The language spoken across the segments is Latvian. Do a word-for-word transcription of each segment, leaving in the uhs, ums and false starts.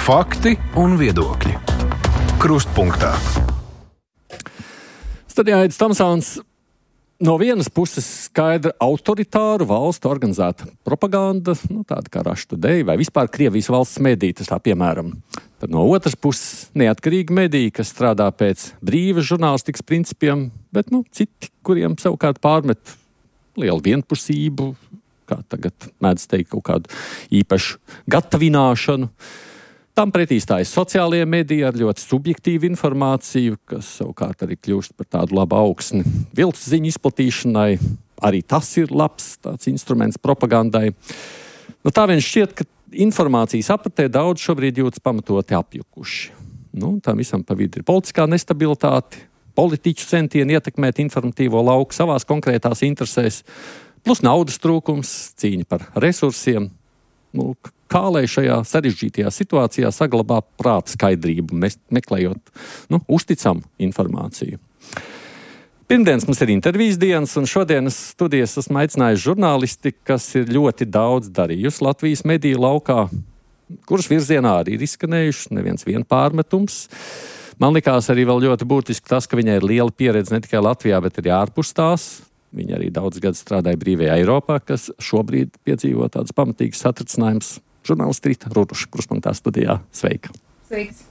Fakti un viedokļi. Krustpunktā. Studijā Aidis Tomsons. No vienas puses skaidra autoritāru valstu organizēta propaganda, nu, tāda kā Russia Today vai vispār Krievijas valsts mediji, tas tā piemēram. Tad no otras puses neatkarīgi mediji, kas strādā pēc brīvas žurnālistikas principiem, bet nu, citi, kuriem savukārt pārmet lielu vienpusību, kā tagad mēdz teikt, kaut kādu īpašu gatavināšanu. Tam pretī stājas sociālie mediji ar ļoti subjektīvu informāciju, kas savukārt arī kļūst par tādu labu augsni viltus ziņu izplatīšanai. Arī tas ir labs tāds instruments propagandai. Nu, tā vien šķiet, ka informācijas apritē daudz šobrīd jūtas pamatoti apjukuši. Nu, tam visam pa vidu ir politiskā nestabilitāte, politiķu centieni ietekmēt informatīvo lauku savās konkrētās interesēs, plus naudas trūkums, cīņa par resursiem. Nu, kā lai šajā sarežģītajā situācijā saglabā prāta skaidrību, meklējot nu, uzticamu informāciju. Pirmdienas mums ir intervijas dienas, un šodienas studijas esmu aicinājis žurnālisti, kas ir ļoti daudz darījusi Latvijas mediju laukā, kuras virzienā arī ir izskanējuši neviens vien pārmetums. Man likās arī vēl ļoti būtiski tas, ka viņai ir liela pieredze ne tikai Latvijā, bet arī ārpus tās. Viņa arī daudz gadus strādāja brīvajā Eiropā, kas šobrīd piedzīvo tādus pamatīgus satricinājumus. Žurnālisti Rita Ruduša, Krustpunktā studijā. Sveika! Sveiks!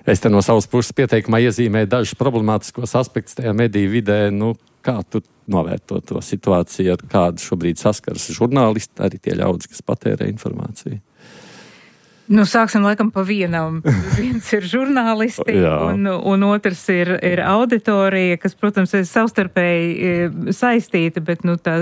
Es te no savas puses pieteikumā iezīmēju dažus problemātiskos aspektus tajā mediju vidē. Nu, kā tu novērto to situāciju, ar kādu šobrīd saskaras žurnālisti, arī tie ļaudis, kas patērē informāciju? Nu, sāksim laikam pa vienam. Viens ir žurnālisti, un, un otrs ir, ir auditorija, kas, protams, ir savstarpēji saistīta, bet nu, tā,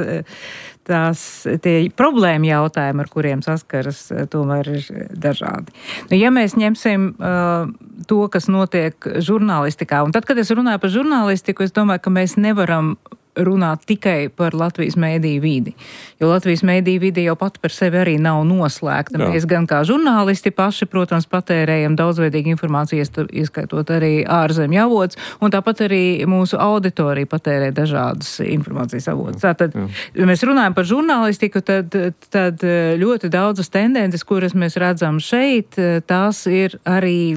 tās tie problēma jautājumi, ar kuriem saskaras, tomēr ir dažādi. Nu, ja mēs ņemsim uh, to, kas notiek žurnālistikā, un tad, kad es runāju par žurnālistiku, es domāju, ka mēs nevaram runāt tikai par Latvijas mēdīju vidi. Jo Latvijas mēdīju vidi jau pat par sevi arī nav noslēgta. Jā. Mēs gan kā žurnālisti paši, protams, patērējam daudzveidīgu informāciju, ieskaitot arī ārzemju avotus, un tāpat arī mūsu auditorija patērē dažādas informācijas avotus. Tātad, ja mēs runājam par žurnālistiku, tad, tad ļoti daudzas tendences, kuras mēs redzam šeit, tās ir arī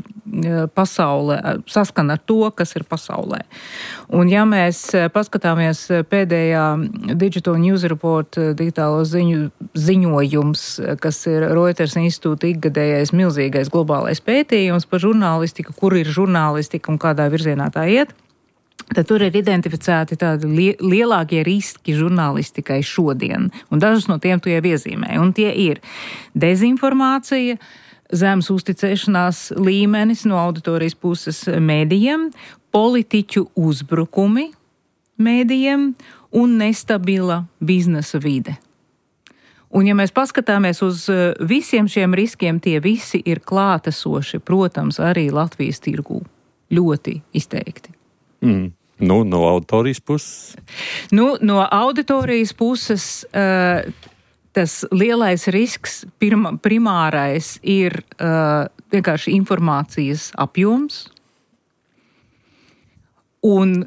pasaulē, saskan ar to, kas ir pasaulē. Un ja mēs paskatāmies pēdējā Digital News Report digitālo ziņu, ziņojums, kas ir Reuters institūta ikgadējais milzīgais globālais pētījums par žurnālistiku, kur ir žurnālistika un kādā virzienā tā iet, tad tur ir identificēti tādi li- lielākie riski žurnālistikai šodien. Un dažus no tiem tu jau iezīmēji. Un tie ir dezinformācija, zemes uzticēšanās līmenis no auditorijas puses mēdījiem, politiķu uzbrukumi mēdījiem un nestabila biznesa vide. Un ja mēs paskatāmies uz visiem šiem riskiem, tie visi ir klātesoši, protams, arī Latvijas tirgū. Ļoti izteikti. Mm. Nu, no auditorijas puses? Nu, no auditorijas puses uh, tas lielais risks, pirma, primārais, ir uh, vienkārši informācijas apjoms. Un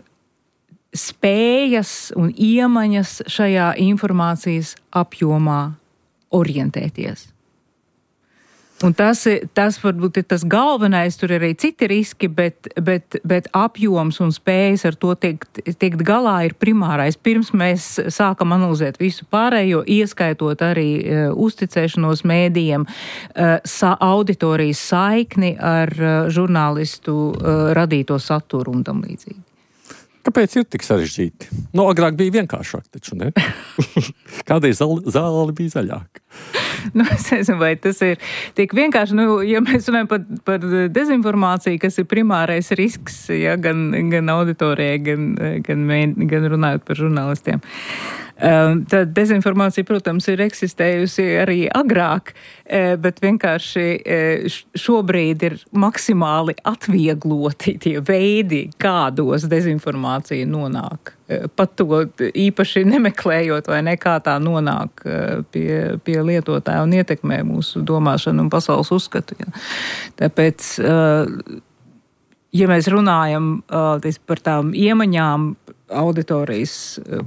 spējas un iemaņas šajā informācijas apjomā orientēties. Un tas, tas varbūt ir tas galvenais, tur ir arī citi riski, bet, bet, bet apjoms un spējas ar to tiekt, tiekt galā ir primārais. Pirms mēs sākam analizēt visu pārējo, ieskaitot arī uh, uzticēšanos mēdījiem, uh, sa- auditorijas saikni ar uh, žurnālistu uh, radīto saturu un tam līdzīgi. Kāpēc ir tik sarežģīti? Nu, agrāk bija vienkāršāk, taču ne? Kādreiz zāle bija zaļāka. Nu, es nezinu, vai tas ir tik vienkārši. Nu, ja mēs runājam par, par dezinformāciju, kas ir primārais risks, ja, gan, gan auditorijai, gan, gan, gan runājot par žurnālistiem. Tad dezinformācija, protams, ir eksistējusi arī agrāk, bet vienkārši šobrīd ir maksimāli atviegloti tie veidi, kādos dezinformācija nonāk. Pat to īpaši nemeklējot vai nekā tā nonāk pie, pie lietotāja un ietekmē mūsu domāšanu un pasaules uzskatu. Ja. Tāpēc, ja mēs runājam par tām iemaņām, auditorijas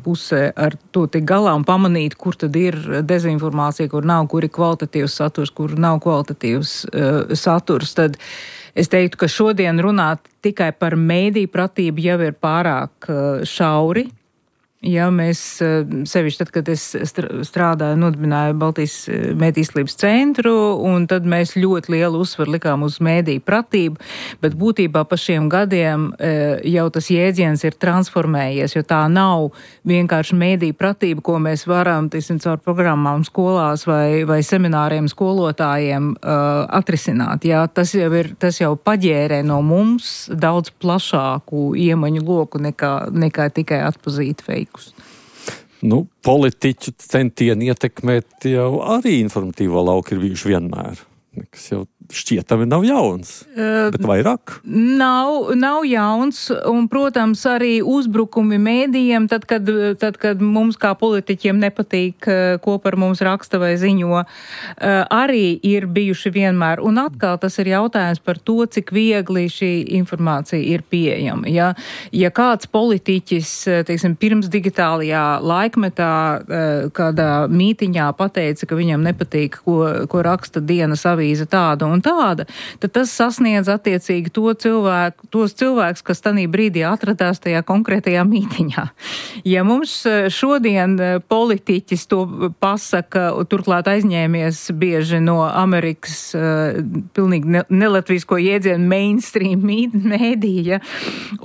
pusē ar to tik galā un pamanīt, kur tad ir dezinformācija, kur nav, kur ir kvalitatīvs saturs, kur nav kvalitatīvs uh, saturs, tad es teiktu, ka šodien runāt tikai par mēdīju pratību jau ir pārāk uh, šauri. Ja mēs sevišķi tad, kad es strādāju, nodibināju Baltijas mēdīslības centru, un tad mēs ļoti lielu uzsvaru likām uz mēdīju pratību, bet būtībā pa šiem gadiem jau tas jēdziens ir transformējies, jo tā nav vienkārši mēdīju pratība, ko mēs varam, tiesim, caur programmām skolās vai, vai semināriem skolotājiem uh, atrisināt. Ja, tas jau ir, tas jau paģērē no mums daudz plašāku iemaņu loku nekā, nekā tikai atpazīt feiku. Nu, politiķu centieni ietekmēt jau arī informatīvo lauku ir bijuši vienmēr. Kas jau šķietami nav jauns, uh, bet vairāk? Nav, nav jauns, un, protams, arī uzbrukumi mēdījiem, tad kad, tad, kad mums kā politiķiem nepatīk, ko par mums raksta vai ziņo, arī ir bijuši vienmēr. Un atkal tas ir jautājums par to, cik viegli šī informācija ir pieejama. Ja, ja kāds politiķis, teiksim, pirms digitālajā laikmetā kādā mītiņā pateica, ka viņam nepatīk, ko, ko raksta dienas avīze tāda un tāda, tad tas sasniedz attiecīgi to cilvēku, tos cilvēkus, kas tanī brīdī atradās tajā konkrētajā mītiņā. Ja mums šodien politiķis to pasaka, turklāt aizņēmies bieži no Amerikas uh, pilnīgi ne, nelatvisko jēdzienu mainstream mēdīja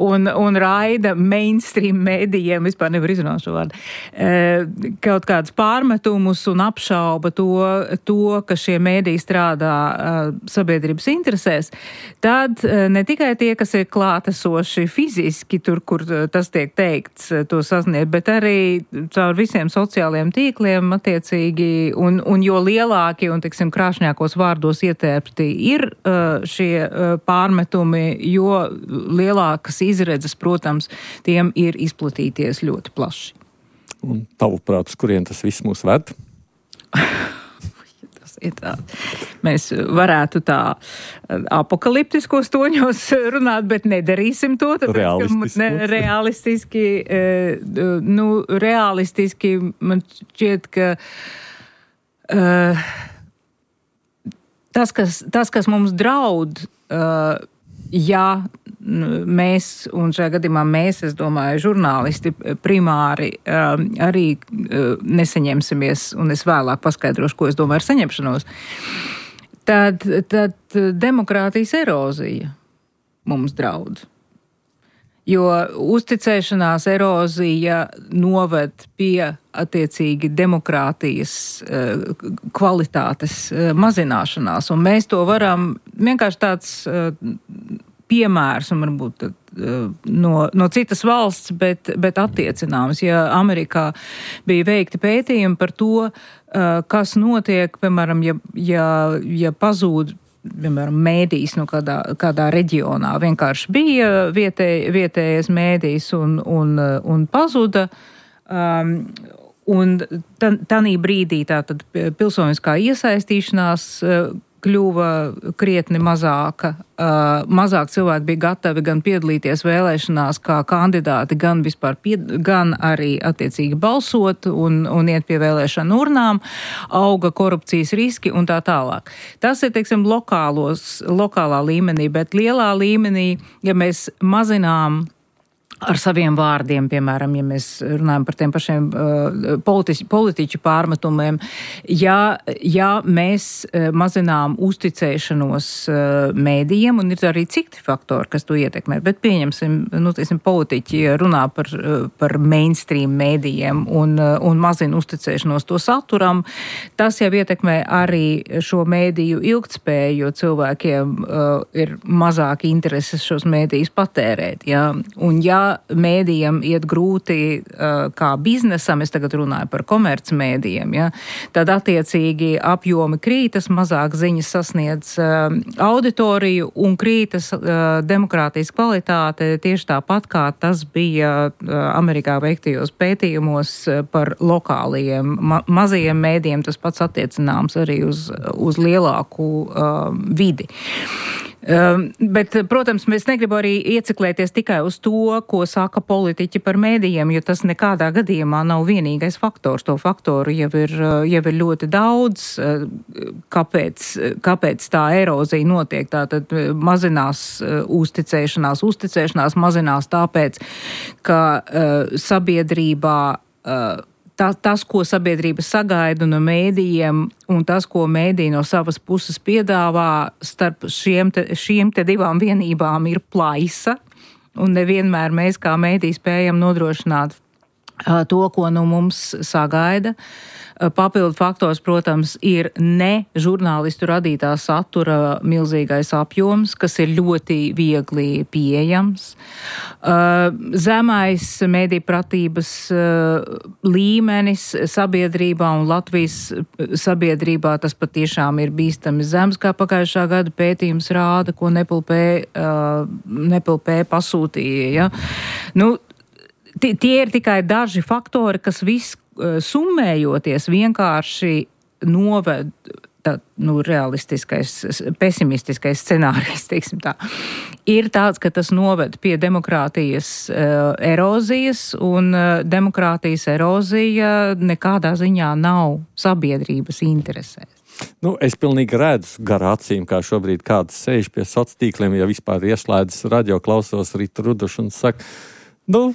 un, un raida mainstream mēdījiem, vispār nevar izrunāt šo vārdu, uh, kaut kāds pārmetumus un apšauba to, to ka šie mēdīji strādā uh, sabiedrības interesēs, tad ne tikai tie, kas ir klātesoši fiziski tur, kur tas tiek teikts, to sasniegt, bet arī caur visiem sociālajiem tīkliem attiecīgi, un, un jo lielāki un, tiksim, krāšņākos vārdos ietērpti ir šie pārmetumi, jo lielākas izredzes, protams, tiem ir izplatīties ļoti plaši. Un tavuprāt, uz kurien tas viss mūs ved? Tā. Mēs varētu tā apokaliptiskos toņos runāt, bet nedarīsim to. Tāpēc, ka, ne, realistiski, nu, realistiski man šķiet, ka uh, tas, kas, tas, kas mums draud, uh, ja mēs, un šajā gadījumā mēs, es domāju, žurnālisti primāri um, arī uh, nesaņemsimies, un es vēlāk paskaidrošu, ko es domāju ar saņemšanos, tad, tad demokrātijas erozija mums draud. Jo uzticēšanās erozija noved pie attiecīgi demokrātijas uh, kvalitātes uh, mazināšanās, un mēs to varam vienkārši tāds uh, piemērs, un varbūt no, no citas valsts, bet, bet attiecināms. Ja Amerikā bija veikti pētījumi par to, kas notiek, piemēram, ja, ja, ja pazūd, piemēram, mēdījis no kādā, kādā reģionā, vienkārši bija vietē, vietējais mēdījis un, un, un pazuda, um, un tanī brīdī tātad pilsoniskā iesaistīšanās kļuva krietni mazāka. Uh, mazāk cilvēki bija gatavi gan piedalīties vēlēšanās kā kandidāti, gan vispār, pied, gan arī attiecīgi balsot un, un iet pie vēlēšanu urnām, auga korupcijas riski un tā tālāk. Tas ir, teiksim, lokālos, lokālā līmenī, bet lielā līmenī, ja mēs mazinām ar saviem vārdiem, piemēram, ja mēs runājam par tiem pašiem uh, politiķu, politiķu pārmetumiem, ja, ja mēs uh, mazinām uzticēšanos uh, mēdījiem, un ir arī citi faktori, kas to ietekmē, bet pieņemsim, nu, tiesim, politiķi runā par, uh, par mainstream mēdījiem un, uh, un mazina uzticēšanos to saturam, tas jau ietekmē arī šo mēdīju ilgtspēju, jo cilvēkiem uh, ir mazāk intereses šos mēdījus patērēt, ja, un ja mēdījiem iet grūti uh, kā biznesam, es tagad runāju par komercmēdījiem, ja, tad attiecīgi apjomi krītas, mazāk ziņas sasniedz uh, auditoriju un krītas uh, demokrātijas kvalitāte tieši tāpat, kā tas bija uh, Amerikā veiktajos pētījumos uh, par lokālajiem ma- mazajiem mēdījiem, tas pats attiecināms arī uz, uz lielāku uh, vidi. Um, bet, protams, mēs negribu arī ieciklēties tikai uz to, ko saka politiķi par mēdījiem, jo tas nekādā gadījumā nav vienīgais faktors. To faktoru jau ir, jau ir ļoti daudz. Kāpēc, kāpēc tā erozija notiek? Tātad mazinās uzticēšanās. Uzticēšanās mazinās tāpēc, ka uh, sabiedrībā uh, Tā, tas, ko sabiedrība sagaida no mēdījiem un tas, ko mēdīji no savas puses piedāvā, starp šiem te, šiem te divām vienībām ir plaisa, un nevienmēr mēs kā mēdīji spējam nodrošināt uh, to, ko no mums sagaida. Papildu faktors, protams, ir ne žurnālistu radītā satura milzīgais apjoms, kas ir ļoti viegli pieejams. Zemais mēdījpratības līmenis sabiedrībā un Latvijas sabiedrībā tas patiešām ir bīstami zems, kā pagājušā gada pētījums rāda, ko Nepilpē, Nepilpē pasūtīja. Ja? Nu, tie ir tikai daži faktori, kas viss summējoties vienkārši noved, tā, nu, realistiskais, pesimistiskais scenārijs, teiksim tā, ir tāds, ka tas noved pie demokrātijas uh, erozijas, un uh, demokrātijas erozija nekādā ziņā nav sabiedrības interesēs. Nu, es pilnīgi redzu gar acīm, kā šobrīd kāds sēž pie sociāliem tīkliem, ja vispār ieslēdzas radio, klausos Ritu Rudušu un saka, nu,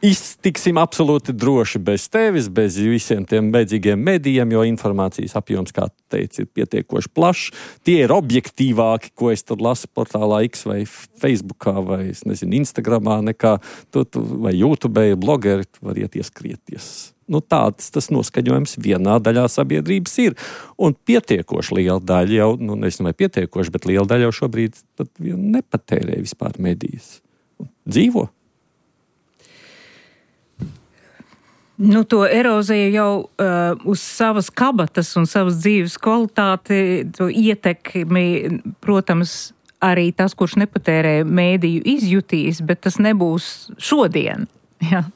iztiksim absolūti droši bez tevis, bez visiem tiem beidzīgiem medijiem, jo informācijas apjoms, kā tu teici, ir pietiekoši plašs. Tie ir objektīvāki, ko es tur lasu portālā X vai Facebookā vai, es nezinu, Instagramā, nekā tu, tu vai YouTube, blogeri, tu var iet ieskrieties. Nu, tāds tas noskaņojums vienā daļā sabiedrības ir. Un pietiekoši liela daļa jau, nu, nezinu, vai pietiekoši, bet liela daļa jau šobrīd pat nepatērē vispār medijas. Dzīvo. Nu, to eroziju jau uh, uz savas kabatas un savas dzīves kvalitāti, to ietekmi, protams, arī tas, kurš nepatērē mēdīju, izjutīs, bet tas nebūs šodien. Ja.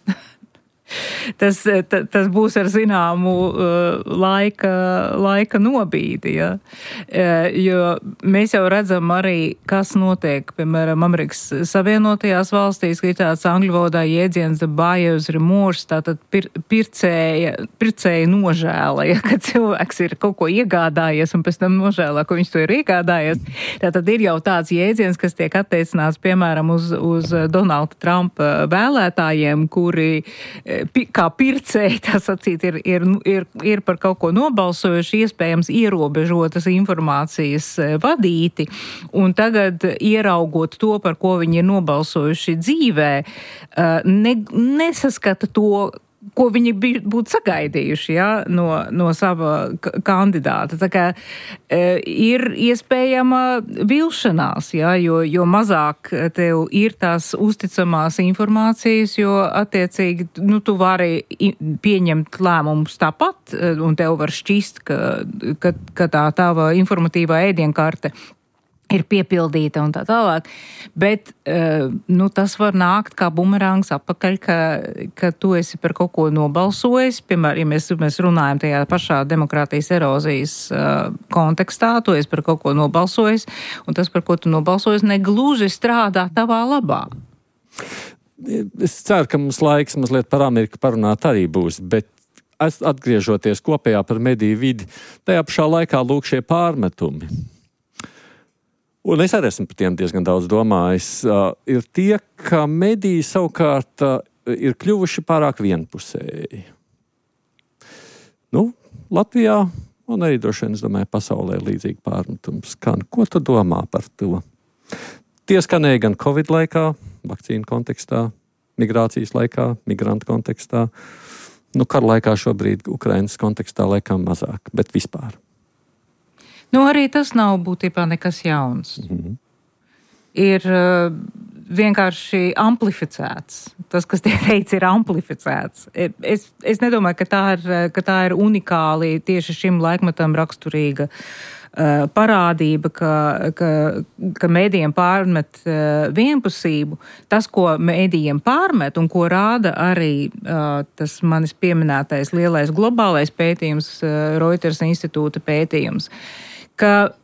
Tas, ta, tas būs ar zināmu uh, laika, laika nobīdi, ja? uh, jo mēs jau redzam arī, kas notiek, piemēram, Amerikas Savienotajās valstīs, ka ir tāds angļu valodā jēdziens the buyer's remorse, tātad pir, pircēja, pircēja nožēla, ja, kad cilvēks ir kaut ko iegādājies un pēc tam nožēlā, ko viņš to ir iegādājies. Tātad ir jau tāds jēdziens, kas tiek attiecināts, piemēram, uz, uz Donalda Trumpa vēlētājiem, kuri kā pircēji, tā sacīt, ir, ir, ir, ir par kaut ko nobalsojuši, iespējams ierobežotas informācijas vadīti, un tagad ieraugot to, par ko viņi ir nobalsojuši dzīvē, ne, nesaskata to, ko viņi būtu sagaidījuši, ja, no, no sava kandidāta. Tā kā e, ir iespējama vilšanās, ja, jo, jo mazāk tev ir tās uzticamās informācijas, jo attiecīgi, nu, tu vari pieņemt lēmumus tāpat, un tev var šķist, ka, ka, ka tā tava informatīvā ēdienkarte ir piepildīta un tā tālāk, bet nu, tas var nākt kā bumerangs atpakaļ, ka, ka tu esi par kaut ko nobalsojis, piemēram, ja mēs, mēs runājam tajā pašā demokrātijas erozijas uh, kontekstā, tu esi par kaut ko nobalsojis, un tas, par ko tu nobalsojis, negluži strādā tavā labā. Es ceru, ka mums laiks mazliet par Ameriku parunāt arī būs, bet atgriežoties kopējā par mediju vidi, tajā pašā laikā lūk šie pārmetumi. Un es arī esmu par tiem diezgan daudz domājis, uh, ir tie, ka mediji savukārt uh, ir kļuvuši pārāk vienpusēji. Nu, Latvijā, un arī droši vien, es domāju, pasaulē ir līdzīgi pārmetums skan. Ko tu domā par to? Tie skanēja gan Covid laikā, vakcīnu kontekstā, migrācijas laikā, migrantu kontekstā. Nu, kara laikā šobrīd Ukrainas kontekstā laikam mazāk, bet vispār. Nu, arī tas nav būtībā nekas jauns. Mm-hmm. Ir uh, vienkārši amplificēts. Tas, kas tiek teikts, ir amplificēts. Es, es nedomāju, ka tā, ir, ka tā ir unikāli tieši šim laikmetam raksturīga uh, parādība, ka, ka, ka mēdījiem pārmet uh, vienpusību. Tas, ko mēdījiem pārmet un ko rāda arī uh, tas manis pieminētais lielais globālais pētījums, uh, Reuters institūta pētījums, ka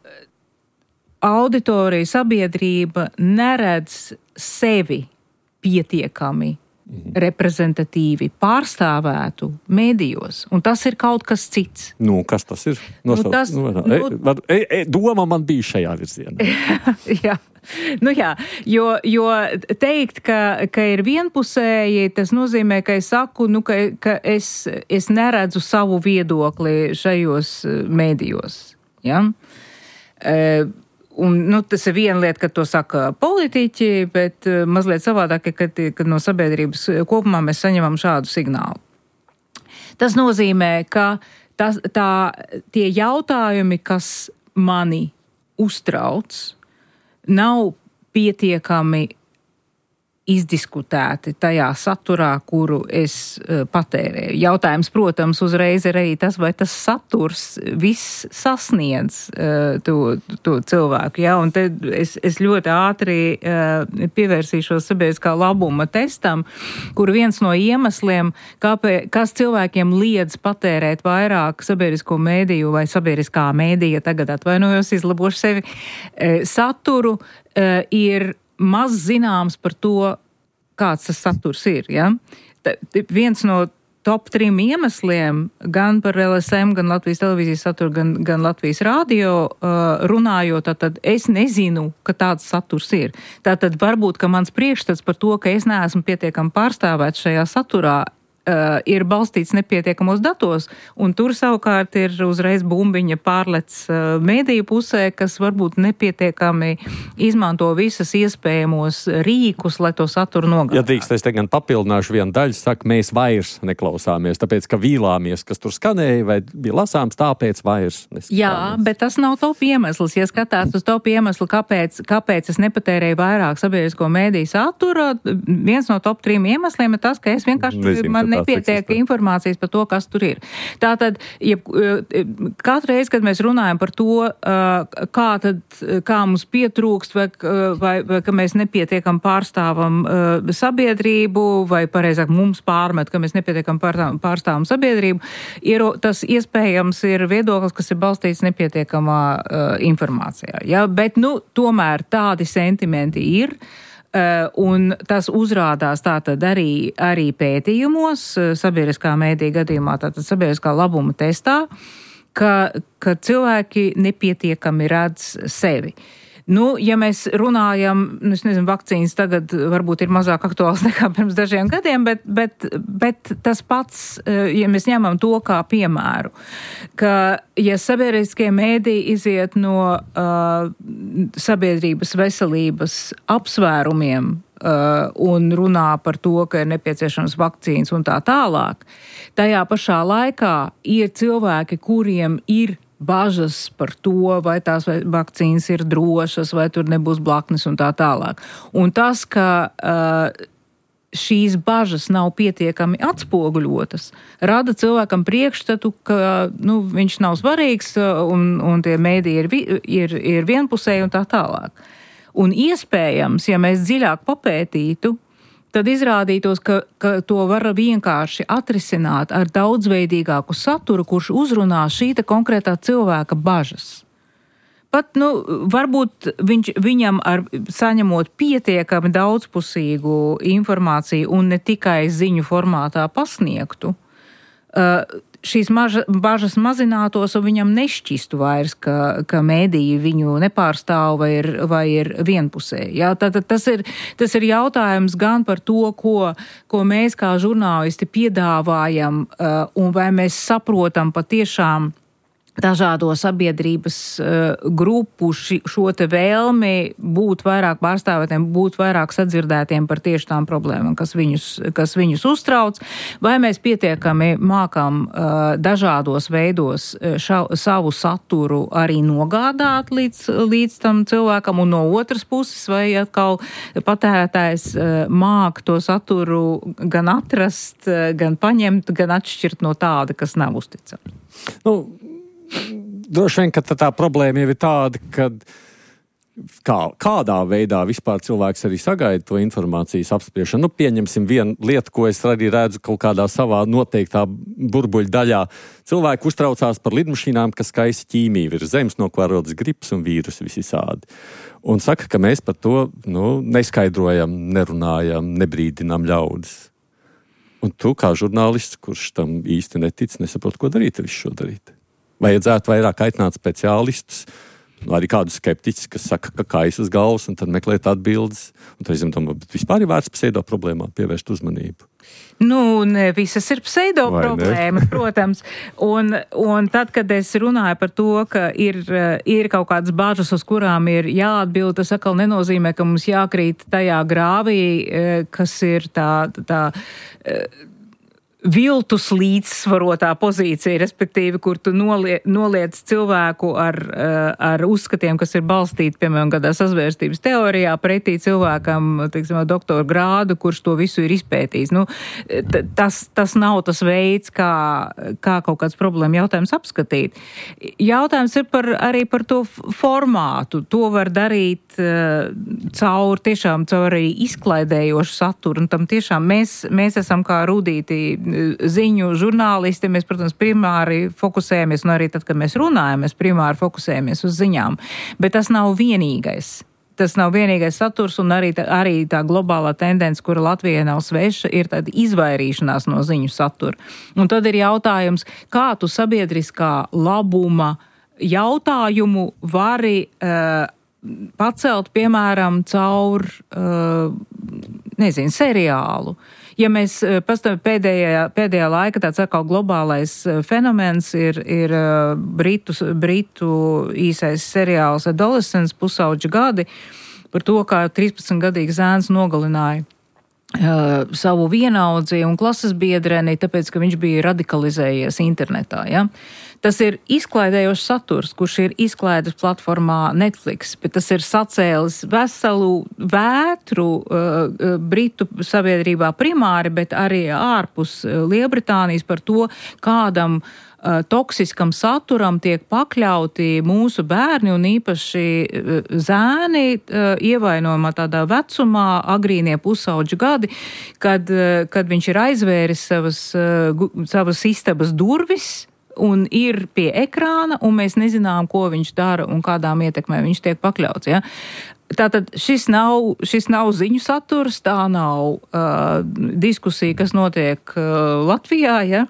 auditorija, sabiedrība neredz sevi pietiekami mm. reprezentatīvi pārstāvētu mēdījos, un tas ir kaut kas cits. Nu, kas tas ir? Nosauc, nu, tas, nu, e, nu, e, e, doma man bija šajā virzienā. Jā. Nu jā, jo, jo teikt, ka, ka ir vienpusēji, tas nozīmē, ka es saku, nu, ka, ka es, es neredzu savu viedokli šajos mēdījos. Ja? E, un, nu, tas ir viena lieta, kad to saka politiķi, bet mazliet savādāk, kad, kad no sabiedrības kopumā mēs saņemam šādu signālu. Tas nozīmē, ka tas, tā, tie jautājumi, kas mani uztrauc, nav pietiekami izdiskutēti tajā saturā, kuru es uh, patērēju. Jautājums, protams, uzreiz ir arī tas, vai tas saturs viss sasniedz uh, to, to cilvēku. Ja? Un te es, es ļoti ātri uh, pievērsīšos sabiedriskā labuma testam, kur viens no iemesliem, kāpēc, kas cilvēkiem liedz patērēt vairāk sabiedrisko mēdīju vai sabiedriskā mēdīja, tagad atvainojos, izlabošu sevi, uh, saturu, uh, ir maz zināms par to, kāds tas saturs ir. Ja? Tā, viens no top trim iemesliem, gan par L S M, gan Latvijas televīzijas saturu, gan, gan Latvijas radio uh, runājot, tad es nezinu, ka tāds saturs ir. Tātad varbūt, ka mans priekšstats par to, ka es neesmu pietiekami pārstāvēts šajā saturā, Uh, ir balstīts nepietiekamos datos, un tur savukārt ir uzreiz bumbiņa pārlec uh, mēdīju pusē, kas varbūt nepietiekami izmanto visas iespējamos rīkus, lai to saturu nogādātu. Ja drīkst, es te gan papildināšu vienu daļu, saka, mēs vairs neklausāmies, tāpēc, ka vīlāmies, kas tur skanēja, vai bija lasāms, tāpēc vairs neskatāmies. Jā, bet tas nav top iemesls. Ja skatās uz top iemeslu, kāpēc, kāpēc es nepatērēju vairāk sabiedrisko mēdīju satura, viens no top trim iemesliem ir tas, ka es vienkārši Nezinu, man nepietiek informācijas par to, kas tur ir. Tātad, ja, katru reizi, kad mēs runājam par to, kā, tad, kā mums pietrūkst, vai, vai, vai ka mēs nepietiekam pārstāvam sabiedrību, vai pareizāk mums pārmet, ka mēs nepietiekam pārstāvam sabiedrību, ir, tas iespējams ir viedoklis, kas ir balstīts nepietiekamā informācijā. Ja? Bet, nu, tomēr tādi sentimenti ir. Uh, un tas uzrādās tātad arī, arī pētījumos, sabiedriskā mēdīja gadījumā, tātad sabiedriskā labuma testā, ka, ka cilvēki nepietiekami redz sevi. Nu, ja mēs runājam, nu, es nezinu, vakcīnas tagad varbūt ir mazāk aktuāls nekā pirms dažiem gadiem, bet, bet, bet tas pats, ja mēs ņemam to kā piemēru, ka, ja sabiedriskie mēdīji iziet no uh, sabiedrības veselības apsvērumiem uh, un runā par to, ka ir nepieciešams vakcīnas un tā tālāk, tajā pašā laikā ir cilvēki, kuriem ir bažas par to, vai tās vakcīnas ir drošas, vai tur nebūs blaknes un tā tālāk. Un tas, ka uh, šīs bažas nav pietiekami atspoguļotas, rada cilvēkam priekšstatu, ka nu, viņš nav svarīgs un, un tie mēdīji ir, ir, ir vienpusēji un tā tālāk. Un iespējams, ja mēs dziļāk papētītu, tad izrādītos, ka, ka to var vienkārši atrisināt ar daudzveidīgāku saturu, kurš uzrunā šī konkrētā cilvēka bažas. Pat, nu, varbūt viņš, viņam ar saņemot pietiekami daudzpusīgu informāciju un ne tikai ziņu formātā pasniegtu, uh, šīs maža, bažas mazinātos un viņam nešķistu vairs, ka, ka mēdīji viņu nepārstāv vai ir, vai ir vienpusēji. Jā, tātad tas ir, tas ir jautājums gan par to, ko, ko mēs kā žurnālisti piedāvājam uh, un vai mēs saprotam patiešām dažādo sabiedrības uh, grupu ši, šo te vēlmi būt vairāk pārstāvētiem, būt vairāk sadzirdētiem par tieši tām problēmām, kas viņus, kas viņus uztrauc, vai mēs pietiekami mākam uh, dažādos veidos ša, savu saturu arī nogādāt līdz, līdz tam cilvēkam, un no otras puses, vai atkal patērētājs uh, māk to saturu gan atrast, uh, gan paņemt, gan atšķirt no tāda, kas nav uzticams. Nu, droši vien, ka tā, tā problēma jau ir tāda, ka kā, kādā veidā vispār cilvēks arī sagaida to informācijas apspriešanu. Nu, pieņemsim vienu lietu, ko es arī redzu kaut kādā savā noteiktā burbuļu daļā. Cilvēki uztraucās par lidmašīnām, kas kaisa ķīmiju virs zemes, no kā rodas gripas un vīrusi visādi. Un saka, ka mēs par to nu, neskaidrojam, nerunājam, nebrīdinām ļaudis. Un tu, kā žurnālists, kurš tam īsti netic, nesaprot, ko darīt, visu šo darīt. Vajadzētu vairāk aicināt speciālistus, nu, arī kādu skeptiķus, kas saka, ka kaisas galvas, un tad meklēt atbildes. Un tad es domāju, bet vispār ir vērts pseido problēmām pievērst uzmanību. Nu, ne visas ir pseido problēmas, protams. Un, un tad, kad es runāju par to, ka ir, ir kaut kādas bāžas, uz kurām ir jāatbild, tas atkal nenozīmē, ka mums jākrīt tajā grāvī, kas ir tā... tā viltus līdzsvarotā pozīcija, respektīvi, kur tu nolie, noliec cilvēku ar, ar uzskatiem, kas ir balstīti, piemēram, kādā sazvērstības teorijā, pretī cilvēkam, teiksim, doktora grādu, kurš to visu ir izpētījis. Nu, tas, tas nav tas veids, kā, kā kaut kāds problēma jautājums apskatīt. Jautājums ir par, arī par to formātu. To var darīt uh, caur, tiešām, caur arī izklaidējošu saturu, un tam tiešām mēs, mēs esam kā rudīti ziņu žurnālisti, mēs, protams, primāri fokusējamies, un arī tad, kad mēs runājam, mēs primāri fokusējamies uz ziņām. Bet tas nav vienīgais. Tas nav vienīgais saturs, un arī tā, arī tā globālā tendence, kura Latvijai nav sveša, ir tāda izvairīšanās no ziņu satura. Un tad ir jautājums, kā tu sabiedriskā labuma jautājumu vari uh, pacelt, piemēram, caur, uh, nezinu, seriālu. Ja mēs pastāv pēdējā, pēdējā laika tāds atkal globālais fenomens ir, ir britu, britu īsais seriāls Adolescents, pusauģa gadi, par to, kā trīspadsmitgadīgs zēns nogalināja uh, savu vienaudzi un klases biedreni, tāpēc, ka viņš bija radikalizējies internetā, ja? Tas ir izklaidējošs saturs, kurš ir izklaides platformā Netflix, bet tas ir sacēlis veselu vētru uh, Britu sabiedrībā primāri, bet arī ārpus Lielbritānijas par to, kādam uh, toksiskam saturam tiek pakļauti mūsu bērni un īpaši uh, zēni uh, ievainojumā tādā vecumā, agrīnie pusauģu gadi, kad, uh, kad viņš ir aizvēris savas, uh, savas istabas durvis, un ir pie ekrāna, un mēs nezinām, ko viņš dara un kādām ietekmēm viņš tiek pakļauts. Ja? Tātad šis nav, šis nav ziņu saturs, tā nav uh, diskusija, kas notiek uh, Latvijā. Ja?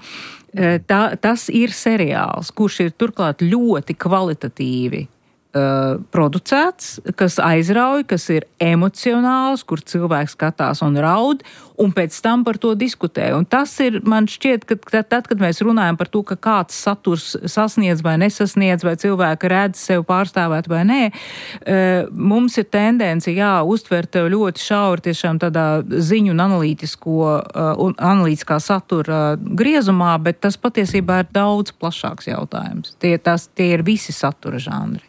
Tā, tas ir seriāls, kurš ir turklāt ļoti kvalitatīvi Uh, producēts, kas aizrauj, kas ir emocionāls, kur cilvēks skatās un raud, un pēc tam par to diskutē. Un tas ir, man šķiet, ka tad, kad mēs runājam par to, ka kāds saturs sasniedz vai nesasniedz, vai cilvēki redz sev pārstāvēt vai nē, uh, mums ir tendence, jā, uztvert ļoti šauri tiešām tādā ziņu un analītisko, uh, un analītiskā satura griezumā, bet tas patiesībā ir daudz plašāks jautājums. Tie, tas, tie ir visi satura žanri.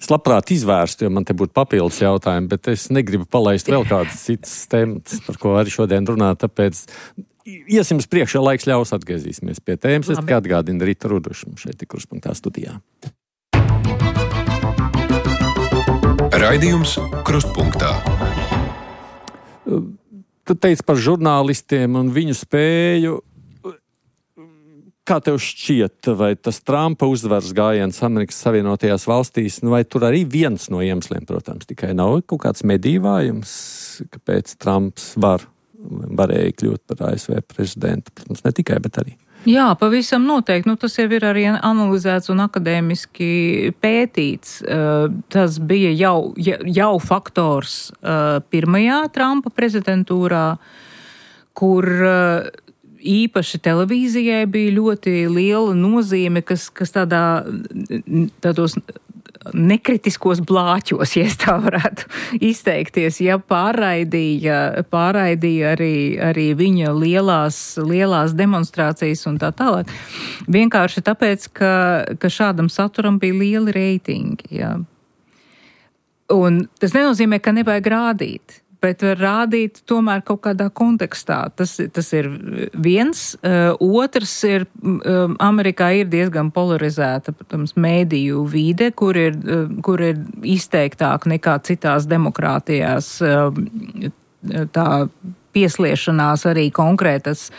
Es labprāt izvērstu, jo man te būtu papildus jautājumi, bet es negribu palaist vēl kādas citas tēmas, par ko arī šodien runāt, tāpēc iesim uz priekšu, laiks ļaus, atgriezīsimies pie tēmas. Es tikai atgādinu Rīta Rudušu šeit ir Krustpunktā studijā. Raidījums Krustpunktā. Tu teici par žurnālistiem un viņu spēju. Kā tev šķiet, vai tas Trumpa uzvaras gājiens Amerikas Savienotajās valstīs, nu vai tur arī viens no iemesliem, protams, tikai nav kaut kāds medīvājums, kāpēc Trumps var, varēja kļūt par A S V prezidentu, protams, ne tikai, bet arī. Jā, pavisam noteikti. Nu, tas jau ir arī analizēts un akadēmiski pētīts. Tas bija jau, jau faktors pirmajā Trumpa prezidentūrā, kur īpaši televīzijai bija ļoti liela nozīme, kas, kas tādā, tādos nekritiskos blāķos, ja tā varētu izteikties, ja pārraidīja, pārraidīja arī, arī viņa lielās, lielās demonstrācijas un tā tālāk. Vienkārši tāpēc, ka, ka šādam saturam bija lieli reitingi. Ja. Un tas nenozīmē, ka nevajag rādīt. bet var rādīt tomēr kaut kādā kontekstā. Tas, tas ir viens. Otrs ir, Amerikā ir diezgan polarizēta, protams, mēdīju vide, kur ir, kur ir izteiktāk nekā citās demokrātijās tā piesliešanās arī konkrētas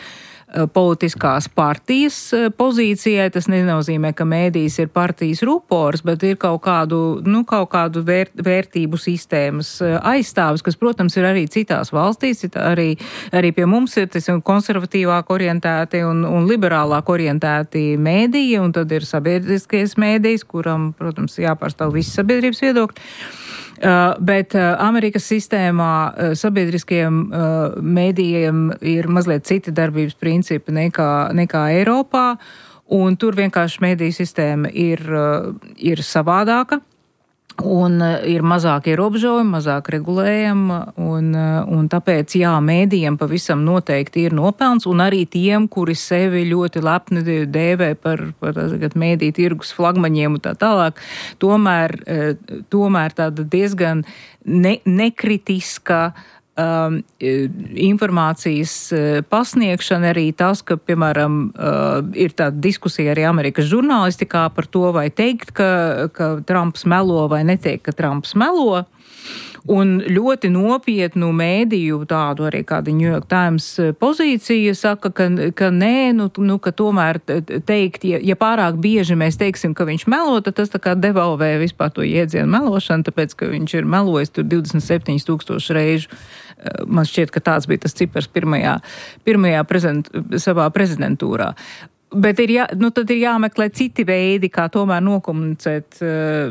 politiskās partijas pozīcijai. Tas nenozīmē, ka mēdījis ir partijas rupors, bet ir kaut kādu, nu, kaut kādu vērt, vērtību sistēmas aizstāvis, kas, protams, ir arī citās valstīs, arī, arī pie mums ir konservatīvāk orientēti un, un liberālāk orientēti mēdīji, un tad ir sabiedriskais mēdījis, kuram, protams, jāpārstāv visi sabiedrības viedokļi. Uh, bet uh, Amerikas sistēmā uh, sabiedriskajiem uh, mēdījiem ir mazliet citi darbības principi nekā, nekā Eiropā, un tur vienkārši mēdīju sistēma ir, uh, ir savādāka, un uh, ir mazāk ierobežojumi, mazāk regulējumi, un, uh, un tāpēc, jā, mēdījiem pavisam noteikti ir nopelns, un arī tiem, kuri sevi ļoti lepni dēvē par, par mēdīju tirgus flagmaņiem un tā tālāk, tomēr, uh, tomēr tāda diezgan ne, nekritiska Um, informācijas uh, pasniegšana, arī tas, ka, piemēram, uh, ir tāda diskusija arī Amerikas žurnālistikā par to, vai teikt, ka, ka Trumps melo vai neteikt, ka Trumps melo. Un ļoti nopietnu mēdīju, tādu arī kāda New York Times pozīcija, saka, ka, ka nē, nu, nu, ka tomēr teikt, ja, ja pārāk bieži mēs teiksim, ka viņš melo, tad tas tā kā devalvē vispār to jēdzienu melošanu, tāpēc, ka viņš ir melojis tur divdesmit septiņi tūkstoši reižu. Man šķiet, ka tāds bija tas cipars pirmajā, pirmajā prezent, savā prezidentūrā. Bet ir jā, nu tad ir jāmeklē citi veidi, kā tomēr nokomunicēt uh,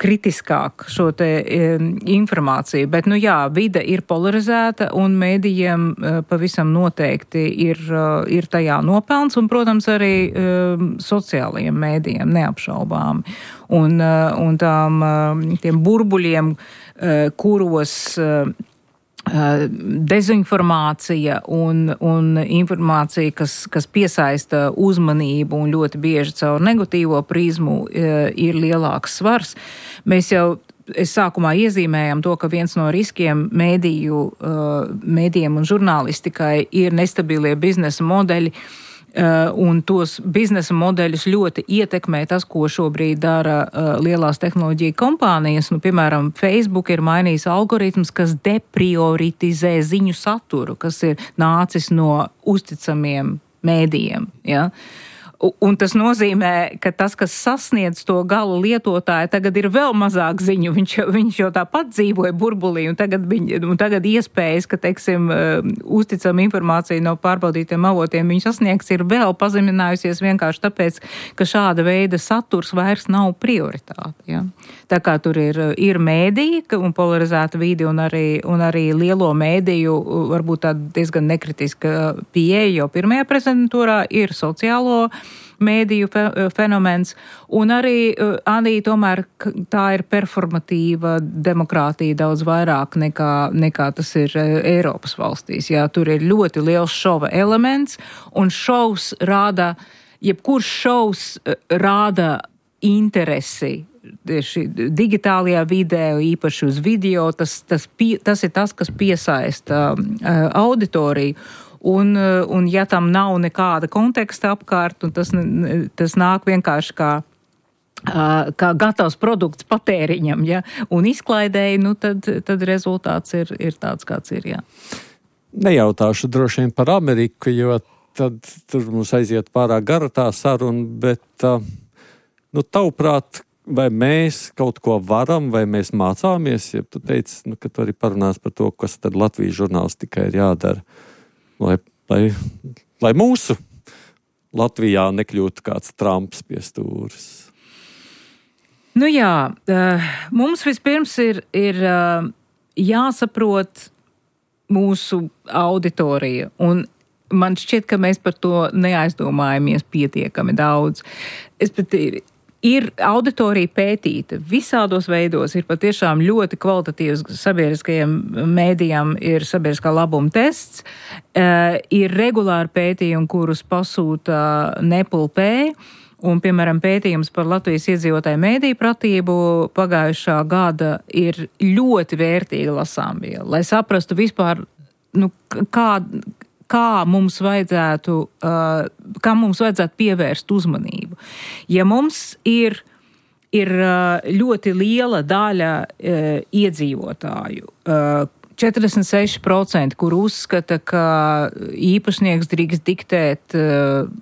kritiskāk šo te um, informāciju. Bet, nu jā, vide ir polarizēta un mēdījiem uh, pavisam noteikti ir, uh, ir tajā nopelns un, protams, arī uh, sociālajiem mēdījiem neapšaubāmi. Un, uh, un tām, uh, tiem burbuļiem, uh, kuros uh, dezinformācija un, un informācija, kas, kas piesaista uzmanību un ļoti bieži caur negatīvo prizmu ir lielāks svars. Mēs jau es sākumā iezīmējam to, ka viens no riskiem mēdīju, mēdījiem un žurnālistikai ir nestabilie biznesa modeļi, Uh, un tos biznesa modeļus ļoti ietekmē tas, ko šobrīd dara uh, lielās tehnoloģija kompānijas. Nu, piemēram, Facebook ir mainījis algoritms, kas deprioritizē ziņu saturu, kas ir nācis no uzticamiem mēdījiem. Ja? Un tas nozīmē, ka tas, kas sasniedz to gala lietotāju, tagad ir vēl mazāk ziņu. Viņš, viņš jau tāpat dzīvoja burbulī, un tagad, viņ, un tagad iespējas, ka, teiksim, uzticama informācija no pārbaudītiem avotiem viņu sasniegs, ir vēl pazeminājusies vienkārši tāpēc, ka šāda veida saturs vairs nav prioritāte. Ja? Tā kā tur ir, ir mēdīji un polarizēta vide, un arī, un arī lielo mēdīju, varbūt tāda diezgan nekritiska pieeja, jo pirmajā prezidentūrā ir sociālo mēdīju fenomens, un arī, arī tomēr tā ir performatīva demokrātija daudz vairāk nekā, nekā tas ir Eiropas valstīs. Jā, tur ir ļoti liels šova elements, un šovs rāda, jebkurš šovs rāda interesi tieši digitālajā vidē, īpaši uz video, tas, tas, pie, tas ir tas, kas piesaista uh, auditoriju. Un, un ja tam nav nekāda konteksta apkārt, un tas, tas nāk vienkārši kā, kā gatavs produkts patēriņam, ja, un izklaidēji, nu tad, tad rezultāts ir, ir tāds, kāds ir, jā. Nejautāšu droši vien par Ameriku, jo tad tur mums aiziet pārāk gara tā saruna, bet, nu, tavuprāt, vai mēs kaut ko varam, vai mēs mācāmies, ja tu teici, nu, ka tu arī parunās par to, kas tad Latvijas žurnālistikai ir jādara. Lai, lai, lai mūsu Latvijā nekļūtu kāds Trumps pie stūres. Nu jā, mums vispirms ir, ir jāsaprot mūsu auditorija, un man šķiet, ka mēs par to neaizdomājamies pietiekami daudz. Es pat ir auditorija pētīta visādos veidos, ir patiešām ļoti kvalitatīvs sabiedriskajiem mēdījām, ir sabiedriskā labuma tests, uh, ir regulāri pētījumi, kurus pasūta Nepal Pay, Un, piemēram, pētījums par Latvijas iedzīvotāju mēdīju pratību pagājušā gada ir ļoti vērtīga lasāmviela, lai saprastu vispār, nu, kā, kā mums vajadzētu, uh, kā mums vajadzētu pievērst uzmanību. Ja mums ir ir ļoti liela daļa e, iedzīvotāju. E, četrdesmit seši procenti, kur uzskata, ka īpašnieks drīkst diktēt e,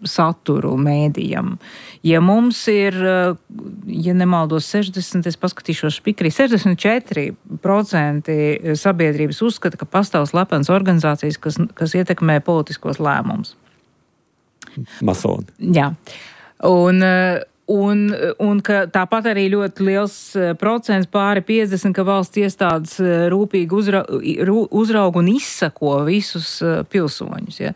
saturu mēdījam. Ja mums ir, ja nemaldos sešdesmit, es paskatīšos špikrī, sešdesmit četri procenti sabiedrības uzskata, ka pastāv slepenas organizācijas, kas, kas ietekmē politiskos lēmumus. Masoni. Jā. Un Un, un ka tāpat arī ļoti liels procents, pāri piecdesmit, ka valsts iestādes rūpīgi uzra, uzrauga un izsako visus pilsoņus. Ja.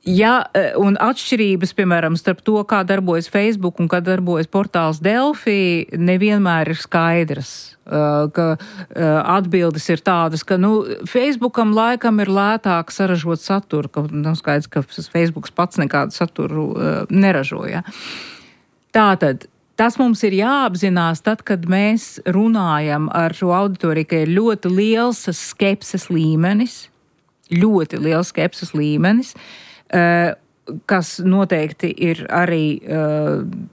Ja, un atšķirības, piemēram, starp to, kā darbojas Facebook un kā darbojas portāls Delfi, nevienmēr ir skaidras. Ka atbildes ir tādas, ka, nu, Facebookam laikam ir lētāk saražot saturu, ka nav skaidrs, ka Facebooks pats nekādu saturu neražoja. Tātad, tas mums ir jāapzinās tad, kad mēs runājam ar šo auditoriju, ka ir ļoti liels skepses līmenis, ļoti liels skepses līmenis, kas noteikti ir arī